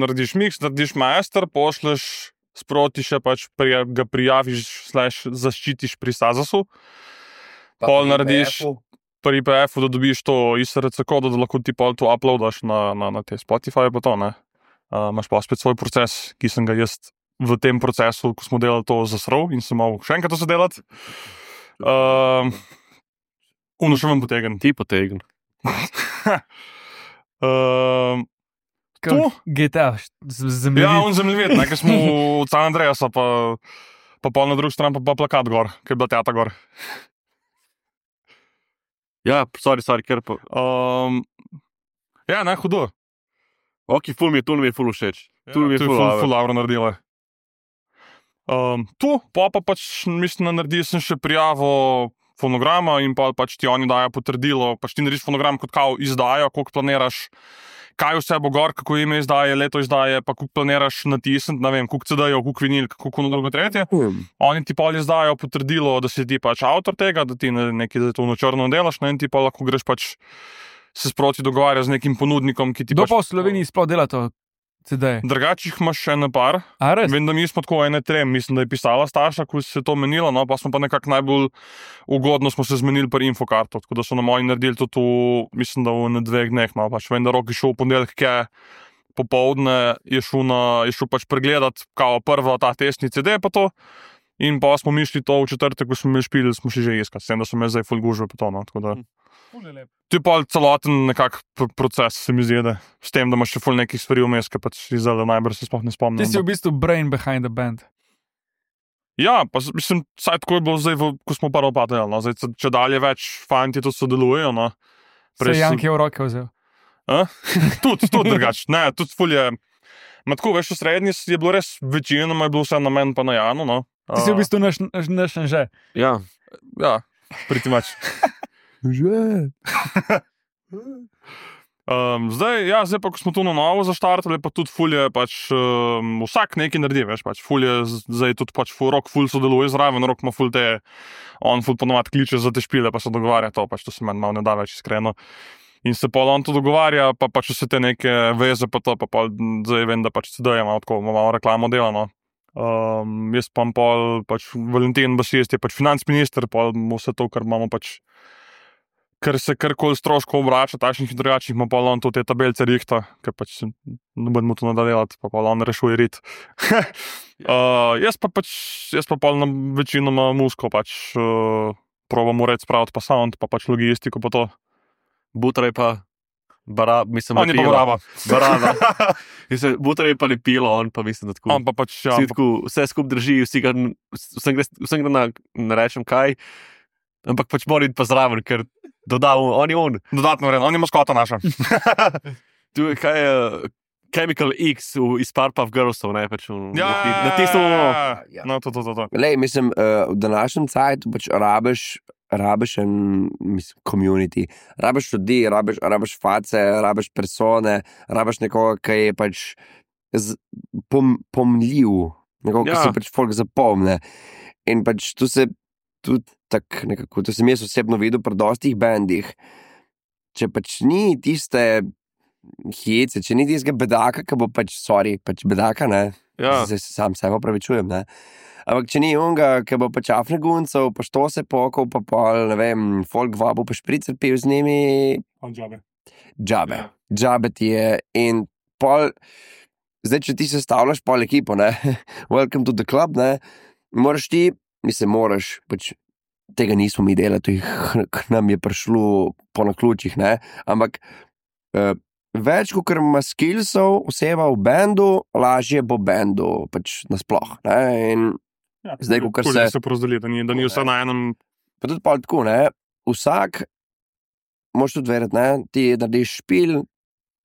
narediš mix, narediš master, pošleš sproti še pač prija, ga prijaviš, slash zaščitiš pri Sazasu. pa pol pri narediš- P F-u. Pri I P F-u, da dobiš to I S R C kodo, da lahko ti pol to uploadaš na, na, na te Spotify pa to, ne. Uh, imaš pa spet svoj proces, ki sem ga jaz v tem procesu, ko smo delali to zasrl in sem mal še enkrat to se delati. Uh, Uno še vam potegn. Ti potegn. uh, Kot To? G T A, z- zemljevid. ja, on zemljevid, ne, ker smo v San Andreasa, pa, pa pol na drugi strani pa, pa plakat gor, ker je bila teta gor. Ja, sorry, sorry, ker pa... Um, ja, ne, hudo. Ok, ful mi je, tu mi je ful všeč. Ja, Tu mi je to je ful ful, dobro. ful dobro naredila. Um, tu, pa pa pač, mislim, da naredil sem še prijavo fonograma in pa pač ti oni dajo potrdilo, pač ti narediš fonogram kot kao izdajo, koliko planiraš, kaj vse bo gor, kako ime izdaje, leto izdaje, pa koliko planiraš natisniti, ne vem, koliko C D-jev, koliko vinil, koliko na drugo tretje. Hmm. Oni ti pa izdajo potrdilo, da si ti pač avtor tega, da ti ne- nekaj za to na črno delaš, ne, in ti pa lahko greš pač se sproti dogovarja z nekim ponudnikom, ki ti Kdo pač... pa v Sloveniji sploh dela to C D-je? Drugače jih imaš še ene par. A res? Vem, da mi smo tako ene trem, mislim, da je pisala Staša, ko se je to menilo, no, pa smo pa nekako najbolj ugodno smo se zmenili pri Infokartu, tako da so na moji naredili to tu, mislim, da v ne dveh dneh, no, pač vem, da Rok je šel v ponedeljek, je popoldne, je šel, na, je šel pač pregledat, kao prva ta testni C D pa to, in pa smo mi šli to v četrtek, ko smo imeli špil, smo šli že iskati, s tem, da so me zdaj ful gužve pa to, no, tako da. To je pa celoten nekak pr proces, se mi zdi, da s tem, da imaš še ful nekih stvari vmes, ki pač izdala najbrž se sploh ne spomnim. Ti si v bistvu brain behind the band. Ja, pa z- mislim, saj tako je bilo zdaj, v, ko smo prvo pa delali, no. Zdaj, če- če dalje več fanti to sodelujejo, no. Se Prej je sem- Janki v roke vzel. A? Tudi, tudi drugače, ne, tudi ful je, ma tako, veš, v srednji je bilo res večinoma je bilo vse na meni pa na Janu, no. Ti si v bistvu naš, naš, naš že. Ja, Ja, pretty much. Že. Um, zdaj, ja, zdaj pa, ko smo tu na novo zaštartali, pa tudi ful je pač, um, vsak nekaj naredi, veš, pač ful je, z- zdaj tudi pač ful, Rok ful sodeluje zraven, Rok ima ful te, on ful ponovadi kliče za te špile, pa se dogovarja to, pač to se meni malo ne da več iskreno. In se pol on to dogovarja, pa pač vse te neke veze, pa to, pa pol, zdaj vem, da pač C D je malo tako, ima malo reklamo delano. Um, jaz pa pol, pač Valentin Basist je pač financ minister, pol mu vse to, kar imamo pač, ker se karkoli stroškov obrača, takšnih in drugačnih, ima pa on to te tabelce rihta, ker pač se ne bomo to nadaljevati, pa pa on rešuje rit. uh, jaz pa pač, jaz pa pol na večinoma musko pač uh, probam ured spraviti pa sound, pa pač logistiko pa to. Butraj pa... Bara, mislim, On je pa lepilo. brava. Baraba. Mislim, Butraj je pa lepilo, on pa mislim, da tako... On pa pač, ja, Vsi tako, vse skup drži, vsi ga, vsem gre, vsem gre na, ne rečem kaj, ampak pač mora iti pa zraven, ker dodal, on je on. dodatno vredno, on je maskota naša. Tu je kaj je Chemical X v, iz Powerpuff Girlsov, ne, pač v, Ja, na tistem, Ja. no, to, to, to, to. Lej, mislim, uh, v današnjem cajtu pač rabiš, rabiš en, mislim, community, rabiš ljudi, rabiš, rabiš face, rabiš persone, rabiš nekoga, ki je pač z, pom, pomljiv, nekoga, Ja. ki se pač folk zapomne. In pač tu se tudi tako nekako, to sem jaz osebno videl pri dostih bendih, če pač ni tiste hice, če ni tistega bedaka, ki bo pač, sorry, pač bedaka, ne, Ja. zdaj se sam sebe opravičujem, ne, ampak če ni unga, ki bo pač afne guncev, pa što se pokal, pa pol, ne vem, folk vabu, pa špricer pil z njimi, Džabe. džabe, džabe ti je in pol, zdaj, če ti sestavljaš pol ekipo, ne, welcome to the club, ne, moraš ti, mislim, moraš, pač tega nismo mi delali, to jih k nam je prišlo po naključjih, ne, ampak uh, več, kot ima skillsov oseba v bendu, lažje bo bendu, pač nasploh, ne, in Ja, Zdaj, kakor kul, se- da se porazdeli, da ni, da ni vse na enem. pa tudi pol tako, ne, vsak, moraš tudi verjeti, ne, ti narediš špil,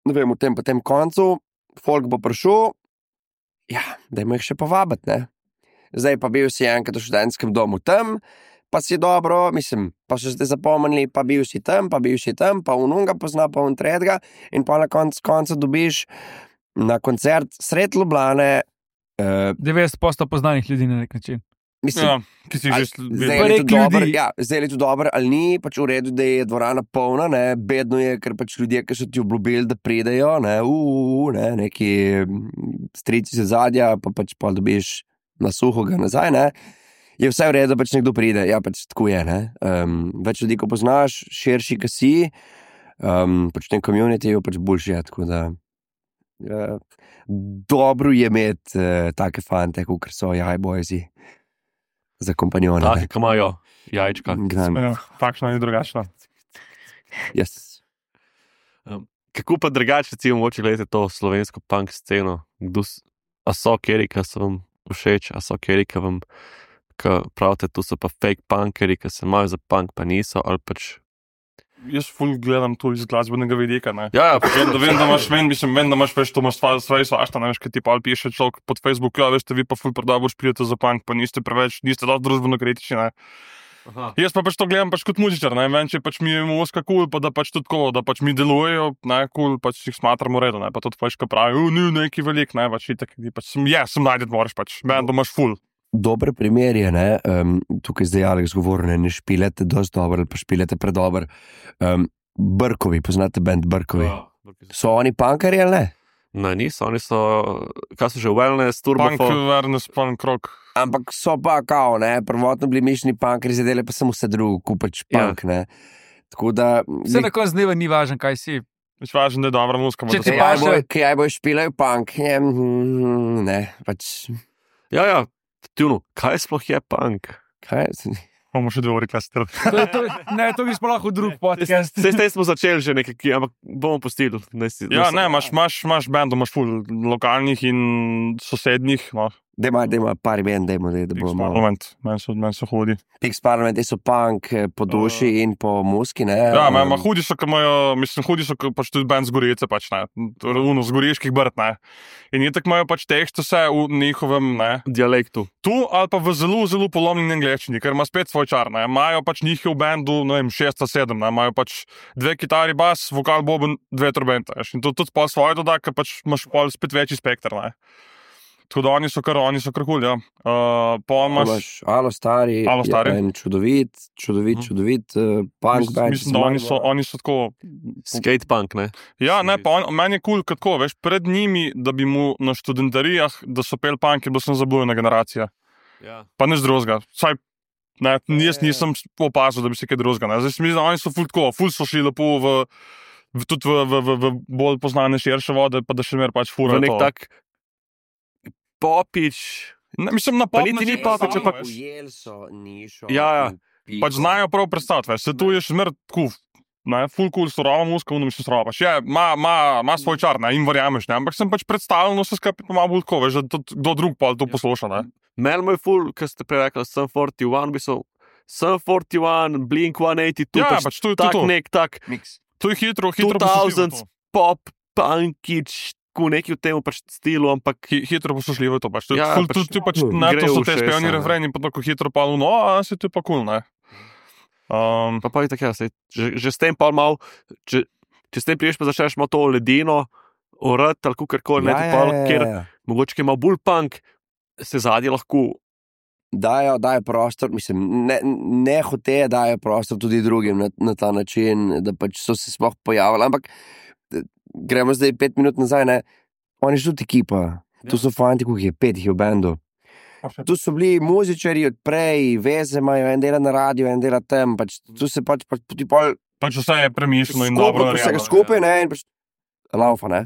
ne vem, v tem pa tem koncu, folk bo prišel, ja, dajmo jih še povabiti, ne. Zdaj pa bil si enkrat v študentskem domu tam, pa si dobro, mislim, pa so zdaj zapomnili, pa bil si tam, pa bil si tam, pa ununga pozna, pa un tretjega in pa na koncu konca dobiš na koncert sred Ljubljane, uh, devetdeset posto poznanih ljudi na nek način. mislim, Ja, ki si Ali- že Zdaj videl. je to Prek dobro, ljudi. ja, zdaj je to dobro, ali ni pač v redu, da je dvorana polna, ne, bedno je, ker pač ljudje, ki so ti obljubili, da pridejo, ne, uu, ne, neki mm, strici se zadja, pa pač pa dobiš na suho ga nazaj, ne. Je vse v redu, da pač nekdo pride, ja, pač tako je, ne. Um, več ljudi, ko poznaš, širši, ki si, um, pač v tem communityju pač boljši je, tako da uh, dobro je imeti uh, take fante, kot so jajbojzi za kompanjone. ne. Take, ki imajo jajčka. Grand. Ja, takšna in drugačna. Yes. Kako pa drugače, recimo, mogoče gledate to slovensko punk sceno? Kdo s- a so keri, ki so vam všeč, a so keri, ki vam, ki pravite, tu so pa fake punkeri, ki se imajo za punk, pa niso, ali pač. Jaz ful gledam to iz glasbenega vidika. Ne. Ja, ja, Vem, da, vem, da imaš, vem, mislim, vem, da imaš več to imaš stvar, stvari svašta, ne veš, kaj ti pa ali piše človek pod Facebooku, ja, veste, vi pa ful predabo špijete za punk, pa niste preveč, niste dosti družbeno kritični, ne. Aha. Jaz pa pač to gledam pač kot muzičar, ne vem, če pač mi je muzika kul, cool, pa da pač tudi tako, da pač mi delujejo, ne, kul, cool, pač jih smatramo redo, ne, pa tudi pač, ko pravijo, ni neki velik, ne, pač itak, ti pač, sem, ja, sem najdete moraš pač, meni, da imaš ful. Dober primer je, ne, um, tukaj zdaj Alex govori, ne, ne špilete dosti dobro ali pa špilete predober. Um, Brkovi, poznate band Brkovi? Ja. So oni punkari ali ne? Ne, niso, oni so, kaj so že, wellness, Punk, turbofon. awareness, punk rock. Ampak so pa kao, ne, prvotno bili mišljeni punkari, zdaj delajo pa samo vse drugo, kot pač punk, ne. Tako da... Vse na koncu dneva ni važno, kaj si. Več važno, da je dobra muzika. Če da ti se- Kaj paše- bojo, kaj bojo špilajo punk, je, mm, ne, pač, Ja, ja, tjuno, kaj sploh je punk? kaj, Bomo še dve uri klasirali. To, je- to, je- ne, to bi sploh lahko drug podcast. Sej s tem smo začeli že nekaj, ampak bomo pustili. Ne, si- Ja, ne, ne, imaš, imaš, imaš bendov, imaš ful lokalnih in sosednjih, no, dajmo, dajmo par imen, dajmo, da, da Pix bomo... Parliament, meni so, men so hudi. Pix Parliament, so punk eh, po duši in po muski, ne. Ja, um, ma, ma hudi so, ki imajo, mislim, hudi so, ki pač tudi bend z Gorice, pač ne, uno z goriških brd, ne. In je tako imajo pač tekst vse v njihovem, ne, dialektu. tu ali pa v zelo, zelo polomljeni angleščini, ker ima spet svoj čar, ne. Imajo pač njih v bendu, ne vem, šest ali sedem, ne, imajo pač dve kitari, bas, vokal, boben, dve trobente, veš. In to tudi pol svoje doda, ker pač imaš pol spet večji spekter, ne. Tako da oni so kar, oni so kar kul, ja. Uh, pa imaš... Imaš Alo Stari, Alo Stari. je en čudovit, čudovit, Mhm. čudovit uh, punk Mislim, band. mislim, da oni so, oni so tako. Skate punk, ne? Ja, ne, pa on, meni je kul, cool, kako veš, pred njimi, da bi mu na študentarijah, da so pel punk, je bila sem zabujena generacija. Ja. Pa nič drugega. Saj, ne, jaz nisem opazil, da bi se kaj drugega. Ne. Zdaj se mi zdi, da oni so ful tako, ful so šli lepo v, v, tudi v, v, v, v bolj poznane širše vode, pa da še mer pač V furajo. nek to. tak popič. Ne, mislim, na Pa pop niti ni način popič, samo, ampak- veš. Ujeli so nišo. Ja, ja. in Pač piko. znajo prav predstaviti, veš, se tu je še zmer tako, ne, full cool, surova muska, uno mislim surova, pač je, ima, ima, ima svoj čar, ne, in verjameš, ne, ampak sem pač predstavljeno vse skupaj pa malo bolj tako, veš, da to, kdo drug pa to posluša, ne. Mel moj ful, ki ste prej rekli, sem štirideset ena, bi so sem štirideset ena, Blink sto osemdeset dva, Ja, pač pač to je to, tak to. nek tak Mix. To je hitro, hitro dvotizemski poslušljivo to. pop, punkič, tako neki v tem pač stilu, ampak Hi- Hitro poslušljivo je to, pač, to, Ja, ja, ful, pač- pač, to, pač, Gre ne, to so v te ušesa, spevni ne. refreni, pa tako hitro pa, no, a se to je pa kul, cool, ne. Um, pa, pa je tako, ja, sej, že, že s tem pa mal, če, če s tem priješ pa začneš malo to ledino, orat ali kakorkoli, Ja, ne, ja, pa, ja, ker ja, ja. mogoče ki ima bolj punk, se zadnji lahko dajo, dajo prostor, mislim, ne, ne hote dajo prostor tudi drugim na, na ta način, da pač so se sploh pojavili, ampak gremo zdaj pet minut nazaj, ne, oni so tudi ekipa, ja. Tu so fanti, koliko je, pet jih je v bendu. Tu so bili muzičari od prej, veze imajo, en dela na radiju, en dela tam, pač tu se pač, pač tudi pol... Pač vse je premišljeno in skupaj, dobro vsega narejeno. skupaj, ne, in pač laufa, ne.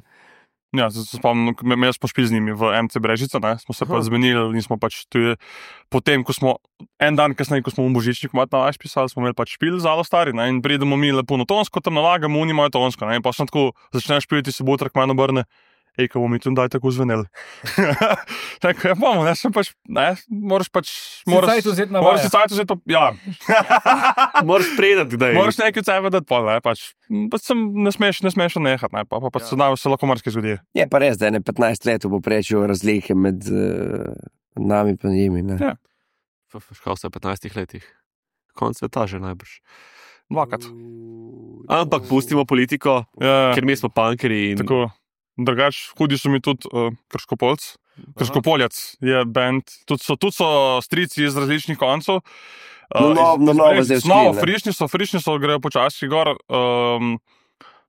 Ja, se se spomnim, me, me smo špili z njimi v M C Brežica, ne, smo se pa zmenili in smo pač tudi, potem, ko smo, en dan kasneje, ko smo v Božičniku mat na vaš pisali, smo imeli pač špil zalo stari, ne, in pridemo mi lepo na tonsko, tam nalagamo, oni imajo tonsko, ne, in pa sem tako, začneš špiliti, se bo utrak manj obrne, ej, ko bomo mi tu daj tako zveneli. Tako, ja, bomo, ne, sem pač, ne, moraš pač, moraš, cajt vzeti na moraš vaja. si cajt vzeti, pa, ja, Moraš predati, da je. moraš nekaj od sebe dati pol, ne, pač, pač sem, ne smeš, ne smeš nehati, ne, pa, pa, pa se, ja. se lahko marsikaj zgodi. Je pa res, da je ne petnajst let v povprečju razlike med uh, nami in njimi, ne. Ja. Škal se v petnajstih letih. Konc sveta že najbrž. Dvakrat. Ampak pustimo politiko, Ja, ker mi smo punkeri in tako. Drugač, hudi so mi tudi uh, Krškopolc. Krškopoljec je band, tudi so, tudi so strici iz različnih koncev. No, no, no, novo iz- zdaj iz- Novo, odkrili, ne. frišni so, frišni so, grejo počasi gor. Um,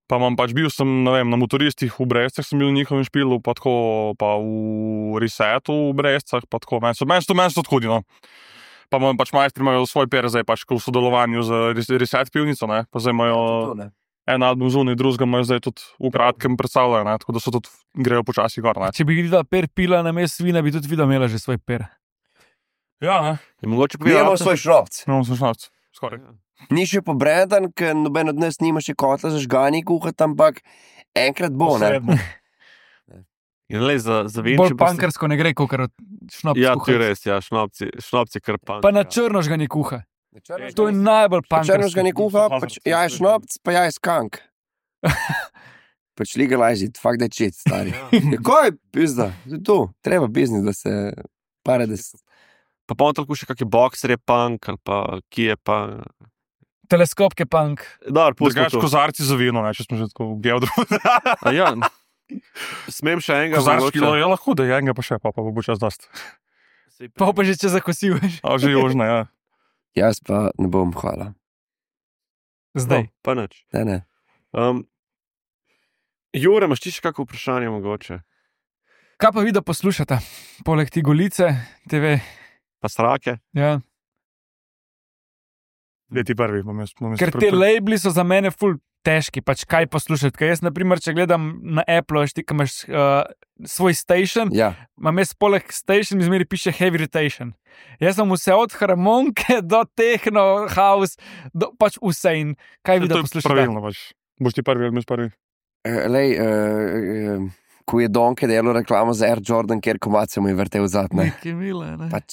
pa imam pač bil sem, ne vem, na motoristih v Brestcah sem bil v njihovem špilu, pa tako, pa v Resetu v Brestcah, pa tako, meni so, meni so, meni so tudi hudi, no. Pa imam pač majstri imajo svoj per zdaj, pač ko v sodelovanju z Res- Reset pivnico, ne, pa zdaj imajo en album zunaj, drugega imajo zdaj tudi v kratkem predstavljajo, ne, tako da so tudi, grejo počasi gor, ne. Če bi videla per pila na mestu vina, bi tudi videla imela že svoj per. Ja, ne, je mogoče Mi imamo povedati. svoj šropc. imamo sem šnavc, skoraj. Ni še pobrendan, ker noben od nas nima še kotla za žganje kuhati, ampak enkrat bo, ne. Posredno. In le za, za Bolj venče. pankarsko ne gre, kot šnop. Ja, to je res, ja, šnopci, šnopci kar punk. Pa na ja. črno žganje kuha. To je najbolj Črno pankarsko. žganje kuha, pač jaj šnopc, pa jaj skank. Pač legalize it, fuck that shit, stari. Ja, kaj, pizda, to je to, treba biznis, da se pare, da se... Pa pa on tako še kakšen boxer je punk, ali pa ki je pa... Teleskop je punk. Dar, pustimo Drugač to. kozarci za vino, ne, če smo že tako v geodru. A ja, smem še enega. Kozarčki, mogoče? no, je lahko, da je enega pa še, pa, pa bo čas dost. Pa pa že če zakosil. A že južne, ja. Jaz pa ne bom, hvala. Zdaj. No, pa nič. Ne, ne. Um, Jure, imaš ti še kakšno vprašanje mogoče? Kaj pa vi, da poslušate? Poleg ti golice, T V. Pa srake? Ja. Dej ti prvi, bom jaz. Bom jaz Ker pri- te labeli so za mene ful težki, pač kaj poslušati. Ker jaz, na primer, če gledam na Apple, veš ti, ko imaš uh, svoj station, Ja, imam jaz poleg station, mi zmeri piše heavy rotation. Jaz sem vse od harmonike do techno, house, do, pač vse in kaj vi, To da je poslušate. pravilno, pač. Boš ti prvi ali mi prvi? uh, lej, uh, uh, ko je Donke delal reklamo za Air Jordan, kjer komat se mu je vrtel zad, ne. Nekaj mile, ne? Pač,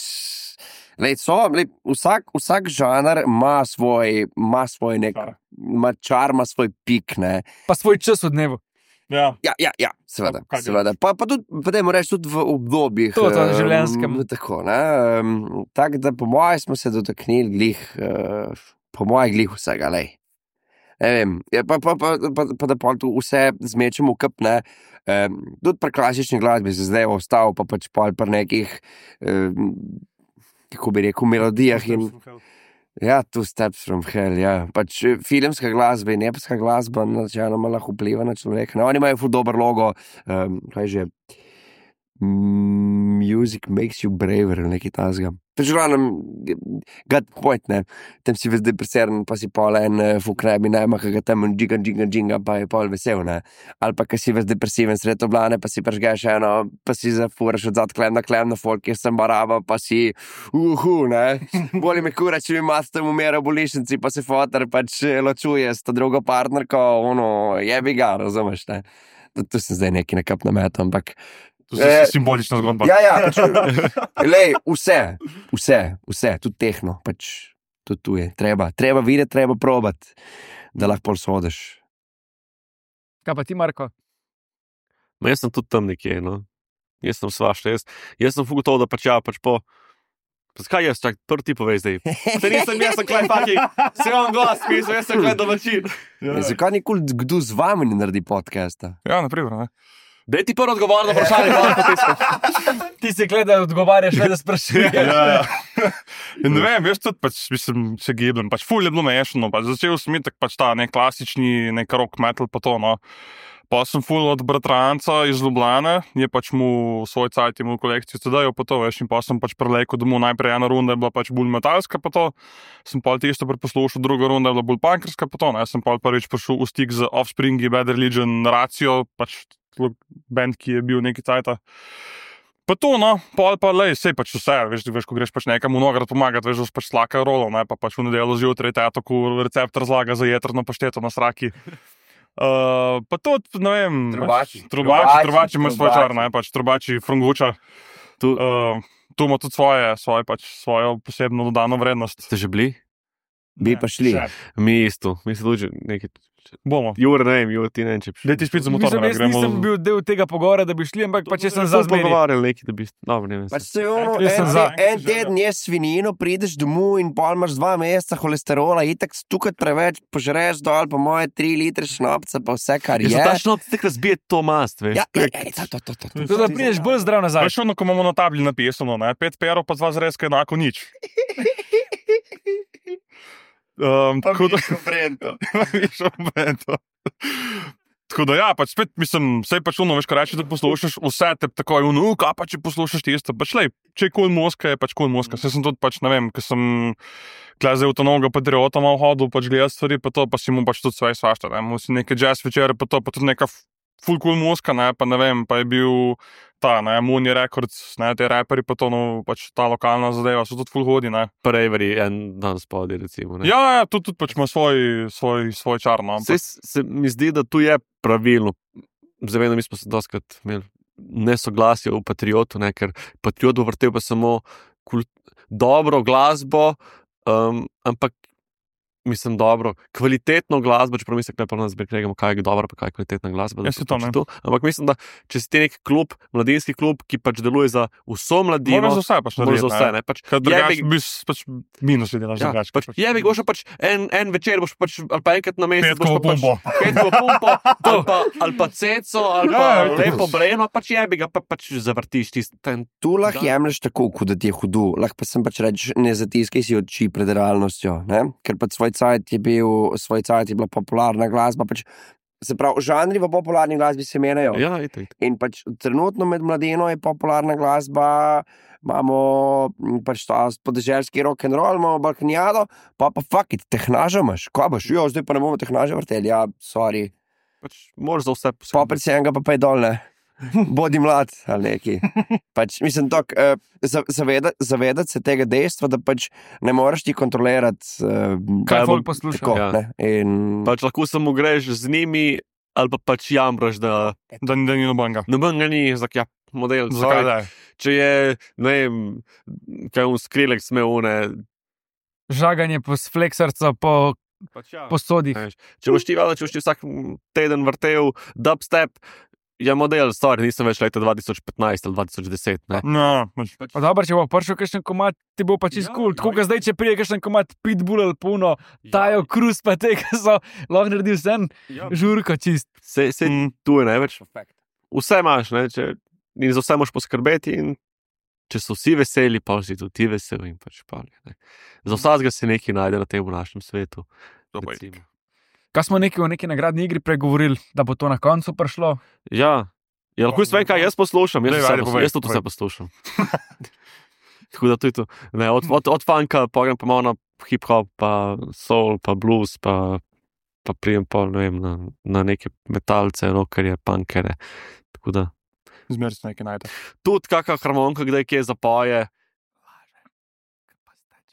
lej, so, lej, vsak, vsak žanr ima svoj, ima svoj nek, Čar. ima čar, ima svoj pik, ne. Pa svoj čas v dnevu. Ja. Ja, ja, ja, seveda, Kaj bi seveda. Pa, pa tudi, pa dajmo reči, tudi v obdobjih. To, to, em, življenjskem. Tako, ne. Um, tako da po mojem smo se dotaknili glih, uh, po mojem glih vsega, lej. Ne vem, je pa, pa, pa, pa, pa da pol tu vse zmečemo v kup, ne. Um, tudi pri klasični glasbi se zdaj ostal, pa pač pol pri nekih, um, kako bi rekel, melodijah in ja, Two Steps from Hell, ja. Pač eh, filmska glasba in epska glasba načeloma lahko vpliva na človeka. No, oni imajo ful dober logo, um, kaj že, Music makes you braver, ali nekaj tasga. Pač glavnem, got point, ne. Tam si ves depresiran, pa si pol en uh, fuknebi najma, ki ga tam džiga, džiga, džiga, pa je pol vesel, ne. Ali pa, ki si ves depresiven sred oblane, pa si prežgeš eno, pa si zafuraš od zad klem na klem na folk, kjer sem baraba, pa si uhu, ne. Boli me kura, če mi mas tam umera v bolnišnici, pa se fotar pač eh, ločuje s to drugo partnerko, ono, jebi ga, razumeš, ne. Tu, tu sem zdaj neki nekap nametal, ampak To je Eh, simbolična zgodba. ja, ja, pač, lej, vse, vse, vse, tudi tehno, pač, tudi tu je, treba, treba videti, treba probati, da lahko pol sodiš. Kaj pa ti, Marko? Ma jaz sem tudi tam nekje, no. Jaz sem svašta, jaz, jaz sem fugotov, da pač ja, pač po... Pa zakaj jaz, čak, prvi ti povej zdaj. Se nisem, jaz sem klej faki, se vam glas pisal, jaz sem klej domačin. Ja. Zakaj nikoli kdo z vami ne naredi podcasta? Ja, naprimer, ne. Daj ti prvo odgovor na vprašanje, pa potem. Ti si gledal, odgovarjaš, ne da sprašuješ. Ja, ja. In ne vem, veš, tudi pač, mislim, se gibljem, pač ful je bilo mešano, pač začel sem itak pač ta nek klasični, nek rock metal pa to, no. Pa sem ful od bratranca iz Ljubljane, je pač mu svoj cajt imel kolekcijo C D-jev pa to, veš, in pa sem pač prelejko domov, najprej ena runda je bila pač bolj metalska pa to, sem pa tisto preposlušal, druga runda je bila bolj punkerska pa to, ne, sem pa prvič prišel v stik z Offspringi, Bad Religion, Ratio, pač band, ki je bil neki cajta. Pa to, no, pol pa lej, sej pač vse, veš, veš, ko greš pač nekam v Nograd pomagati, veš, pač slaka rolo, ne, pa pač v nedeljo zjutraj teto, ko recept razlaga za jetrno pašteto na sraki. Uh, pa to, ne vem, Trubači. trubači, trubači ima svoj Trubači. čar, ne, pač trubači, frunguča. Tu, Uh, tu ima tudi svoje, svoje pač, svojo posebno dodano vrednost. ste že bili? Bi pa šli. Še. Mi isto, mi se tudi nekaj. Bomo. Jure, ne vem, Jure, ti ne vem, če bi šli. Daj ti spet za motor, Mislim, ne, jaz gremo. nisem bil del tega pogovora, da bi šli, ampak pa če sem za Smo zmeri. pogovarjali nekaj, da bi... Dobro, ne vem. Pač se ono, Jaz sem en, za. te, en teden ješ svinjino, prideš domov in pol imaš dva meseca holesterola, itak stukati preveč, požreš dol po moje tri litre šnopca, pa vse, kar je. Je to tačno, ti tako razbije to mast, veš. Ja, ja, ja, to, to, to, to, to. Tako da prideš bolj zdrav nazaj. Veš ono, ko imamo na tabli napisano, ne, pet perov pa dva zrezka enako nič. Um, tako da... Višjo brento. Tako da ja, pač spet, mislim, sej pač ono, veš, ko reči, da poslušaš vse, te tako je ono, kaj pa če poslušaš tisto, pač lej, če je kul moska, je pač kul moska. Saj sem tudi pač, ne vem, ko sem kleze v to novega patriota malo hodil, pač gledal stvari, pa to, pa si mu pač tudi sve svašta, ne, mu si neke jazz večere, pa to, pa tudi neka full cool moska, ne, pa ne vem, pa je bil ta, ne, Mooney Records, ne, te raperi, pa to, no, pač ta lokalna zadeva, so tudi full hodi, ne. Prejveri en dan spodaj, recimo. Ne? Ja, ja, tudi, tudi pač ima svoj, svoj, svoj čar, no, ampak... Se, se mi zdi, da tu je pravilno. Zavedam, mi smo se doskrat imeli nesoglasje v Patriotu, ne, ker Patriot bo vrtel pa samo kult, dobro glasbo, um, ampak mislim dobro, kvalitetno glasbo, čeprav mislim, da ne pa nas pregledamo, kaj je dobro, pa kaj je kvalitetna glasba. Ja, se to, ne. to. Ampak mislim, da če si ti nek klub, mladinski klub, ki pač deluje za vso mladino, Moraš za vse pač moraš narediti, za vse, ne. ne. Pač, Ker drugače jebi- bi pač minus delaš Ja, drugače. pač, je bi boš pač en, en večer, boš pač, ali pa enkrat na mesec, Petkovo boš pa pumpo. pač, petkovo pumpo, ali pa, ali pa ceco, ali pa Ja, ja, lepo breno, pač je bi ga pa, pač zavrtiš tisti ten. Tu lahko Da. jemliš tako, kot da ti je hudo, lahko pa sem pač rečeš, ne zatiskaj si oči pred realnostjo, ne? Ker pač svoj cajt je bil, svoj cajt je bila popularna glasba, pač, se pravi, žanri v popularni glasbi se menjajo. Ja, itak, itak. In pač trenutno med mladino je popularna glasba, imamo m, pač ta podeželski rock and roll, imamo balkanjado, pa pa fuck it, tehnaža imaš, ko boš, jo, zdaj pa ne bomo tehnaža vrteli, ja, sorry, Pač moraš za vse pa predvsem pa pej dol, ne. Bodi mlad ali neki. Pač, mislim, tok, uh, zaveda, zavedati se tega dejstva, da pač ne moreš ti kontrolirati, uh, Kaj bo- folk posluša. tako, Ja. ne. In Pač lahko samo greš z njimi, ali pa pač jamraš, da Da, da ni nobenega. noben ga ni, zak, ja, model. Zakaj Zakaj? da? Če je, ne vem, kaj un skrilek sme une. Žaganje po fleksarcu, po, Pač ja. po sodih. Veš, če boš ti vedel, če boš ti vsak teden vrtel dubstep, je model, sorry, nisem več leta dva tisoč petnajst ali dva tisoč deset. Ne? No, pač, Pa dobro, če bo prišel kakšen komat, ti bo pa čist Ja, kul. Cool. Tako ja. kot zdaj, če prije kakšen komat Pitbull ali puno, Tajo Cruz pa tega so lahko naredil vsem Ja. žurko čist. Se, se Mm. tu je največ. Vse imaš, ne? Če, in za vse moraš poskrbeti. In če so vsi veseli, pa si tudi ti vesel. In pač pa, ne. Za vsakega se nekaj najde na tem našem svetu. to pa je. recimo. Kaj smo neki o neki nagradni igri pregovorili, da bo to na koncu prišlo? Ja, ja lahko jaz vem, kaj jaz poslušam. Jaz, Daj, vse ajde, poslušam, povej, jaz tudi vse povej. poslušam. Tako da to je to. Ne, od, od, od funka pogledam pa malo na hip-hop, pa soul, pa blues, pa, pa prijem pa ne vem, na, na neke metalce, rockerje, punkere. Tako da Zmeraj se nekaj najde. tudi kakšna harmonika, kdaj kje zapoje.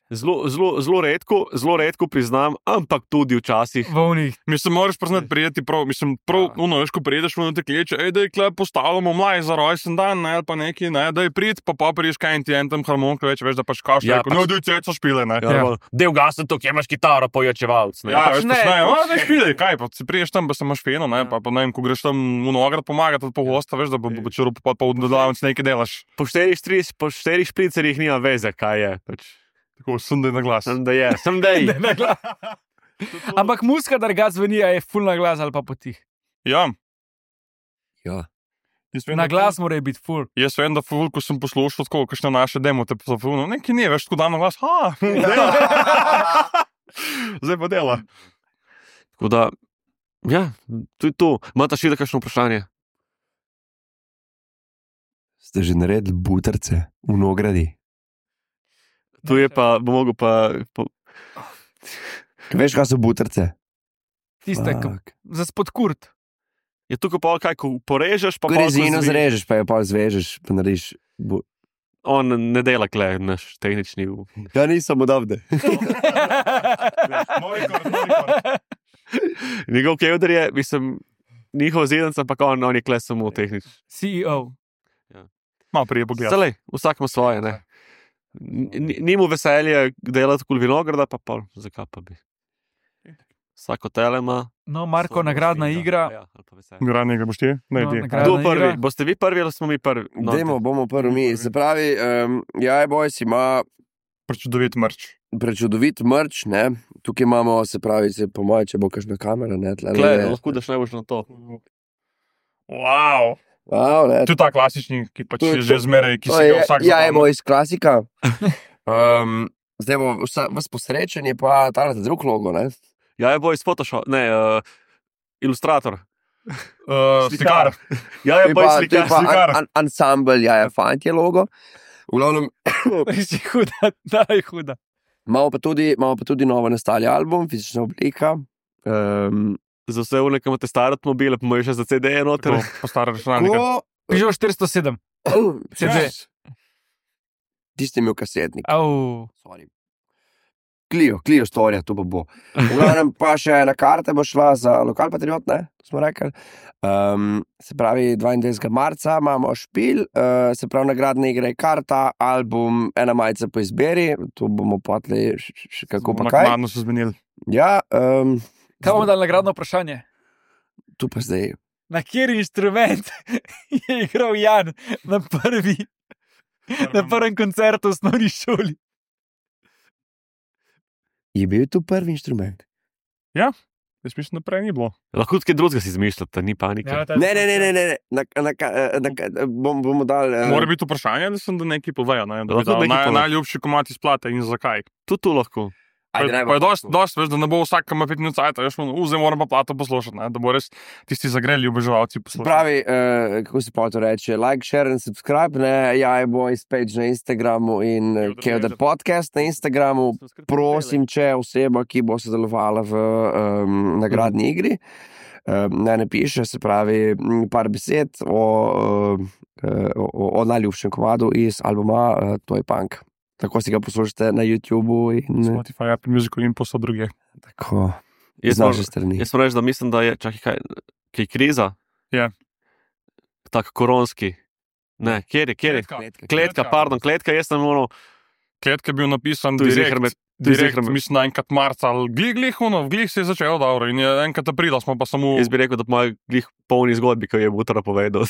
Zelo, zelo, zelo redko, zelo redko priznam, ampak tudi včasih. V unih. Mislim, moraš priznati, prijeti prav, mislim, prav, Ja. ono, veš, ko priješ v te kleče, ej, da je klep postavljamo mlaj za rojsten dan, ne, ali pa neki, ne, da je prid, pa pa priješ kaj in ti en tam harmonika, več, veš, da pač kaš, Ja, ja, pač- no, doj ceco špile, ne. Ja, Ja. ja. Del gasa tukaj, imaš kitaro, pojočevalc. Ne? Ja, Pač veš, ne, pač ne, pač- a, veš, špile, kaj, pa si priješ tam, pa se imaš feno, ne, Ja. pa, pa ne vem, ko greš tam v Nograd pomagati, pa gosta, veš, da bo bo čurup, pa pa v delavnici nekaj delaš. Po štirih, štiri- po štirih špricerjih nima veze, kaj je. Pač, Tako, sem da je na glas. sem da je, sem da je. Ampak muska, da ga zveni, a je fulna glas ali pa potih. Ja, ja. Jaz vem, Na da glas mora biti full. Jaz vem, da ful, ko sem poslušal tako, kakšne naše demo, te pa ful, nekaj ne, veš, tako dan na glas, ha, dela. Zdaj pa dela. Tako da, ja, to je to. Imate še kakšno vprašanje? Ste že naredili buterce v Nogradi? Tu je pa, bo mogel pa... po- Veš, kaj so buterce? Tiste, ki Fuck. za spodkurt. Je tukaj pa kaj, ko porežeš, pa Ko pol, ko rezino zvi- zrežeš, pa jo pa zvežeš, pa narediš. Bu... On ne dela kle, naš tehnični. Ja, nisem odavde. Njegov kevder je, mislim, njihov zidenc, ampak on, on je kle samo tehnični. C E O. Malo prije pogled. Zdaj, vsak ima svoje, ne. Ni ni mu veselje delati kul vinograda, pa pol, zakaj pa bi. Vsako tele ima. No, Marko, nagradna igra. Ja, ali pa veselje. Gradnega boš ti? Ne, No, ti. nagradna Kdo prvi? igra. Boste vi prvi ali smo mi prvi? No, Dajmo, bomo prvi mi. Se pravi, um, Jaj Boys ima Prečudovit mrč. prečudovit mrč, ne. Tukaj imamo, se pravi, se po moje, če bo kakšna kamera, ne. Tle, Kle, lahko daš najbolj na to. Wow. Wow, ne. To je ta klasični, ki pač To je je že to. zmeraj, ki To si ga je vsak Jaj zapomni. Boys klasika. Um, zdaj bo vsa, vas posrečen je pa ta drug logo, ne. Ja, je boj iz Photoshop, ne, uh, ilustrator. Uh, Slikar. Ja, je To je boj pa, to je slikar. pa slikar. an, an, ansambl Jaja Fant je logo. V glavnem, Res je huda, da je huda. imamo pa tudi, imamo pa tudi novo nastali album, fizična oblika. Um, Za vse v nekem te stare avtomobile, pa imaš še za C D-je noter. Tako, po stare računalnike. ko, Pižo štiristo sedem. C D. Tisti imel kasetnik. Au. Sorry. Clio, Clio storija, to pa bo. V glavnem pa še ena karta bo šla za lokal patriot, ne, to smo rekli. Um, se pravi, dvaindvajsetega marca imamo špil, uh, se pravi, nagradna igra je karta, album, ena majica po izbiri, to bomo potli še kako pa kaj. Naknadno so zmenili. Ja, um, Kaj bomo dali nagradno vprašanje? tu pa zdaj. Na kateri inštrument je igral Jan na prvi, na prvem koncertu v osnovni šoli? Je bil to prvi inštrument? Jaz mislim, da prej ni bilo. Lahko tudi kaj drugega si izmišljate, ni panike. Ja, ta- Ne, ne, ne, ne, ne, ne. Na, na, na, na, bom, bomo dali. eh, Mora biti vprašanje, da sem da nekaj povejo. Ne? Da bi Lahko dal nekaj naj, pove. najljubši komad iz plate in zakaj. Tudi tu lahko. ajde, Pa, naj pa je bo dost, tako. dost, veš, da ne bo vsak, ki ima pet minut cajta, veš, zdaj moram pa plato poslušati, ne? Da bo res tisti zagreli oboževalci Se poslušati. pravi, uh, kako se pa to reče, like, share in subscribe, ne, Jaj Boys page na Instagramu in uh, Kevder Kevder Mreža. podcast na Instagramu. Prosim, če je oseba, ki bo sodelovala v um, nagradni igri, um, naj napiše, se pravi, m, par besed o, um, o, o najljubšem komadu iz albuma uh, To je punk. Tako si ga poslušate na YouTubu in Spotify, Apple Music in posod druge. tako Jaz z naše moram- strani. Jaz moram reči, da mislim, da je, čakaj, kaj, kaj je kriza? Ja. Tak koronski. Ne, kjer je, kjer je? Kletka. Kletka, pardon, kletka, jaz sem ono, Kletka je bil napisan tu je direkt, zihar med, tu je direkt zihar med. mislim, na enkrat marca, ali glih, glih, ono, glih se je začel dobro in je enkrat aprila smo pa samo, Jaz bi rekel, da po mojih glih polni zgodbi, ki je Butra povedal.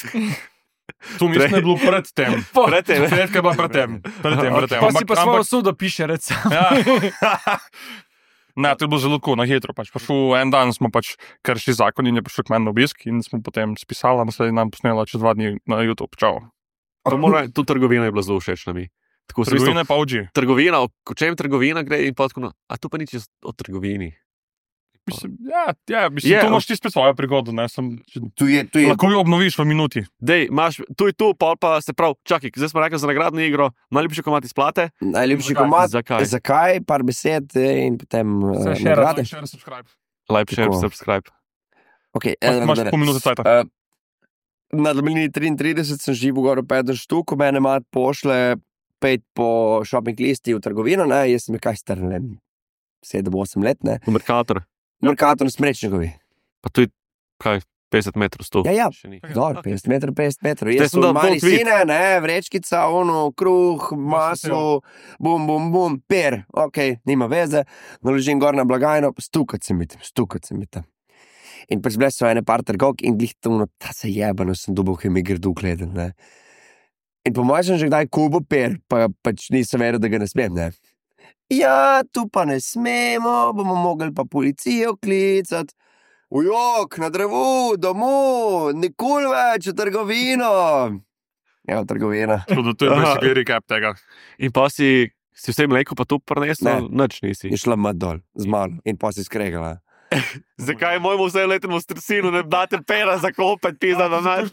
tu mislim, da je bilo pred tem. Pred tem, ne? Kletka je bila pred tem, pred tem, pred tem. Pa si Ampak- pa svojo ampak- sodo piše, recimo. Ja. Ne, to je bilo zelo tako na hitro. Pač. Pašel, en dan smo pač kršili zakon in je prišel k meni na obisk in smo potem spisali, in se je nam posnela čez dva dni na YouTube. Čau. To mora, tu trgovina je bila zelo všeč na mi. Tako v smislu, Trgovine pa oči. trgovina, o o čem trgovina gre in pa tako, no, a tu pa nič o trgovini. Mislim, ja, ja, mislim, Je, tu imaš ti spet svojo prigodo. Ne, sem, Tu je, tu je, lahko jo obnoviš v minuti. Dej, imaš, tu je tu, pol pa se prav, čakaj, zdaj smo rekli za nagradno igro, najljubši komad iz plate. najljubši Zakaj? komad. Zakaj? Zakaj, par besed eh, in potem uh, Vse še nagrade. Like, share, subscribe. Like, share, Tako. subscribe. Okay, Imaš, eh, imaš ne, ne. pol minute cajta. Uh, na Dlini triintrideset sem živel gor v Pedro štuku, mene mat pošle pet po shopping listi v trgovino, ne, jaz sem je kaj star, ne vem, sedem, osem let, ne. V Merkator. Merkator na Smrečnikovi. Pa tu je, kaj, petdeset metrov sto. Ja, ja. Še ni. Dobro, petdeset metrov, petdeset metrov. Zdaj Jaz sem sem dal mali full tweet. sine, ne, vrečkica, ono, kruh, maslo, bum, bum, bum, per, ok, nima veze, naložim gor na blagajno, stukat se mi tam, stukat se mi tam. In pač bile so ene par trgovk in glih to, no, ta se jebano sem dobil, ki mi grdo gledal, ne. In po mojem sem že kdaj kubo per, pa pač nisem veril, da ga ne smem, ne. Ja, tu pa ne smemo, bomo mogli pa policijo klicati. V Ujok, na drevu, domu, nikoli več v trgovino. Ja, v trgovina. Tudi to je basically recap tega. In pa si, si vse mleko pa tu prinesel, Ne. nič nisi. Je šla mat dol, z malo in pa si skregala. Zakaj mojemu vse letnemu stresinu ne date pera za kopet, pizda na naš?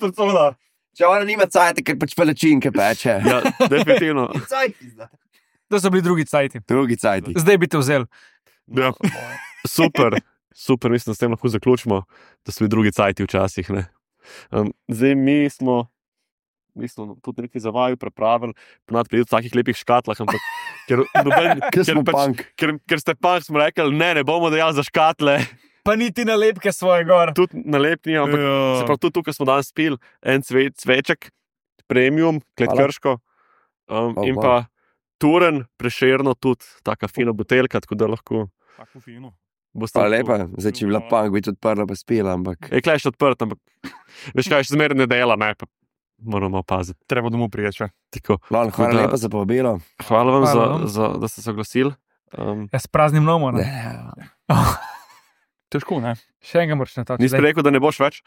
Če ona nima cajta, ker pač pelečinke peče. Ja, definitivno. Cajt, pizda. To so bili drugi cajti. Drugi cajti. Zdaj bi te vzel. Ja. Super, super, mislim, da s tem lahko zaključimo, da so bili drugi cajti včasih. Ne? Um, zdaj mi smo, mi smo tudi nekaj za vaju pripravili, ponad pri takih lepih škatlah, ampak ker, noben, Ker smo pač, punk. ker, ker ste punk, smo rekli, ne, ne bomo dejali za škatle, Pa niti nalepke svoje gor. tudi nalepni, ampak se prav tudi tukaj smo danes spili en cve, cveček, premium, kletkrško um, Oh, in wow. pa turen, prešerno tudi, taka fina buteljka, tako da lahko Tako fino. boste. Hvala lepa, zdaj če bi bila punk, bi tudi odprla pa spila, ampak Je klej še odprt, ampak veš kaj, še zmeraj ne dela, ne, pa moramo paziti. Treba domov priječe. Tako. Lon, hvala da- lepa za povabilo. Hvala vam, Hvala za, vam. za, da ste se oglasili. Um, Ja, s praznim nomom. Ne? Težko, ne? Še enega moraš na to. nisi rekel, da ne boš več?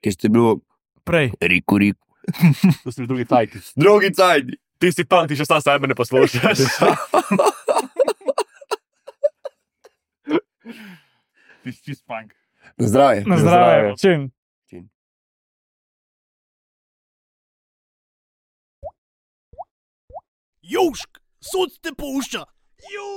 Kje ste bil? Prej. Riku, riku. To si drugi tajki. Drugi cajti. Ti si punk, ti še sam sebe ne poslušaš. Ti si čist punk. Na zdravje. Na zdravje. zdravje. Čim. Južk, sod te pušča. Južk.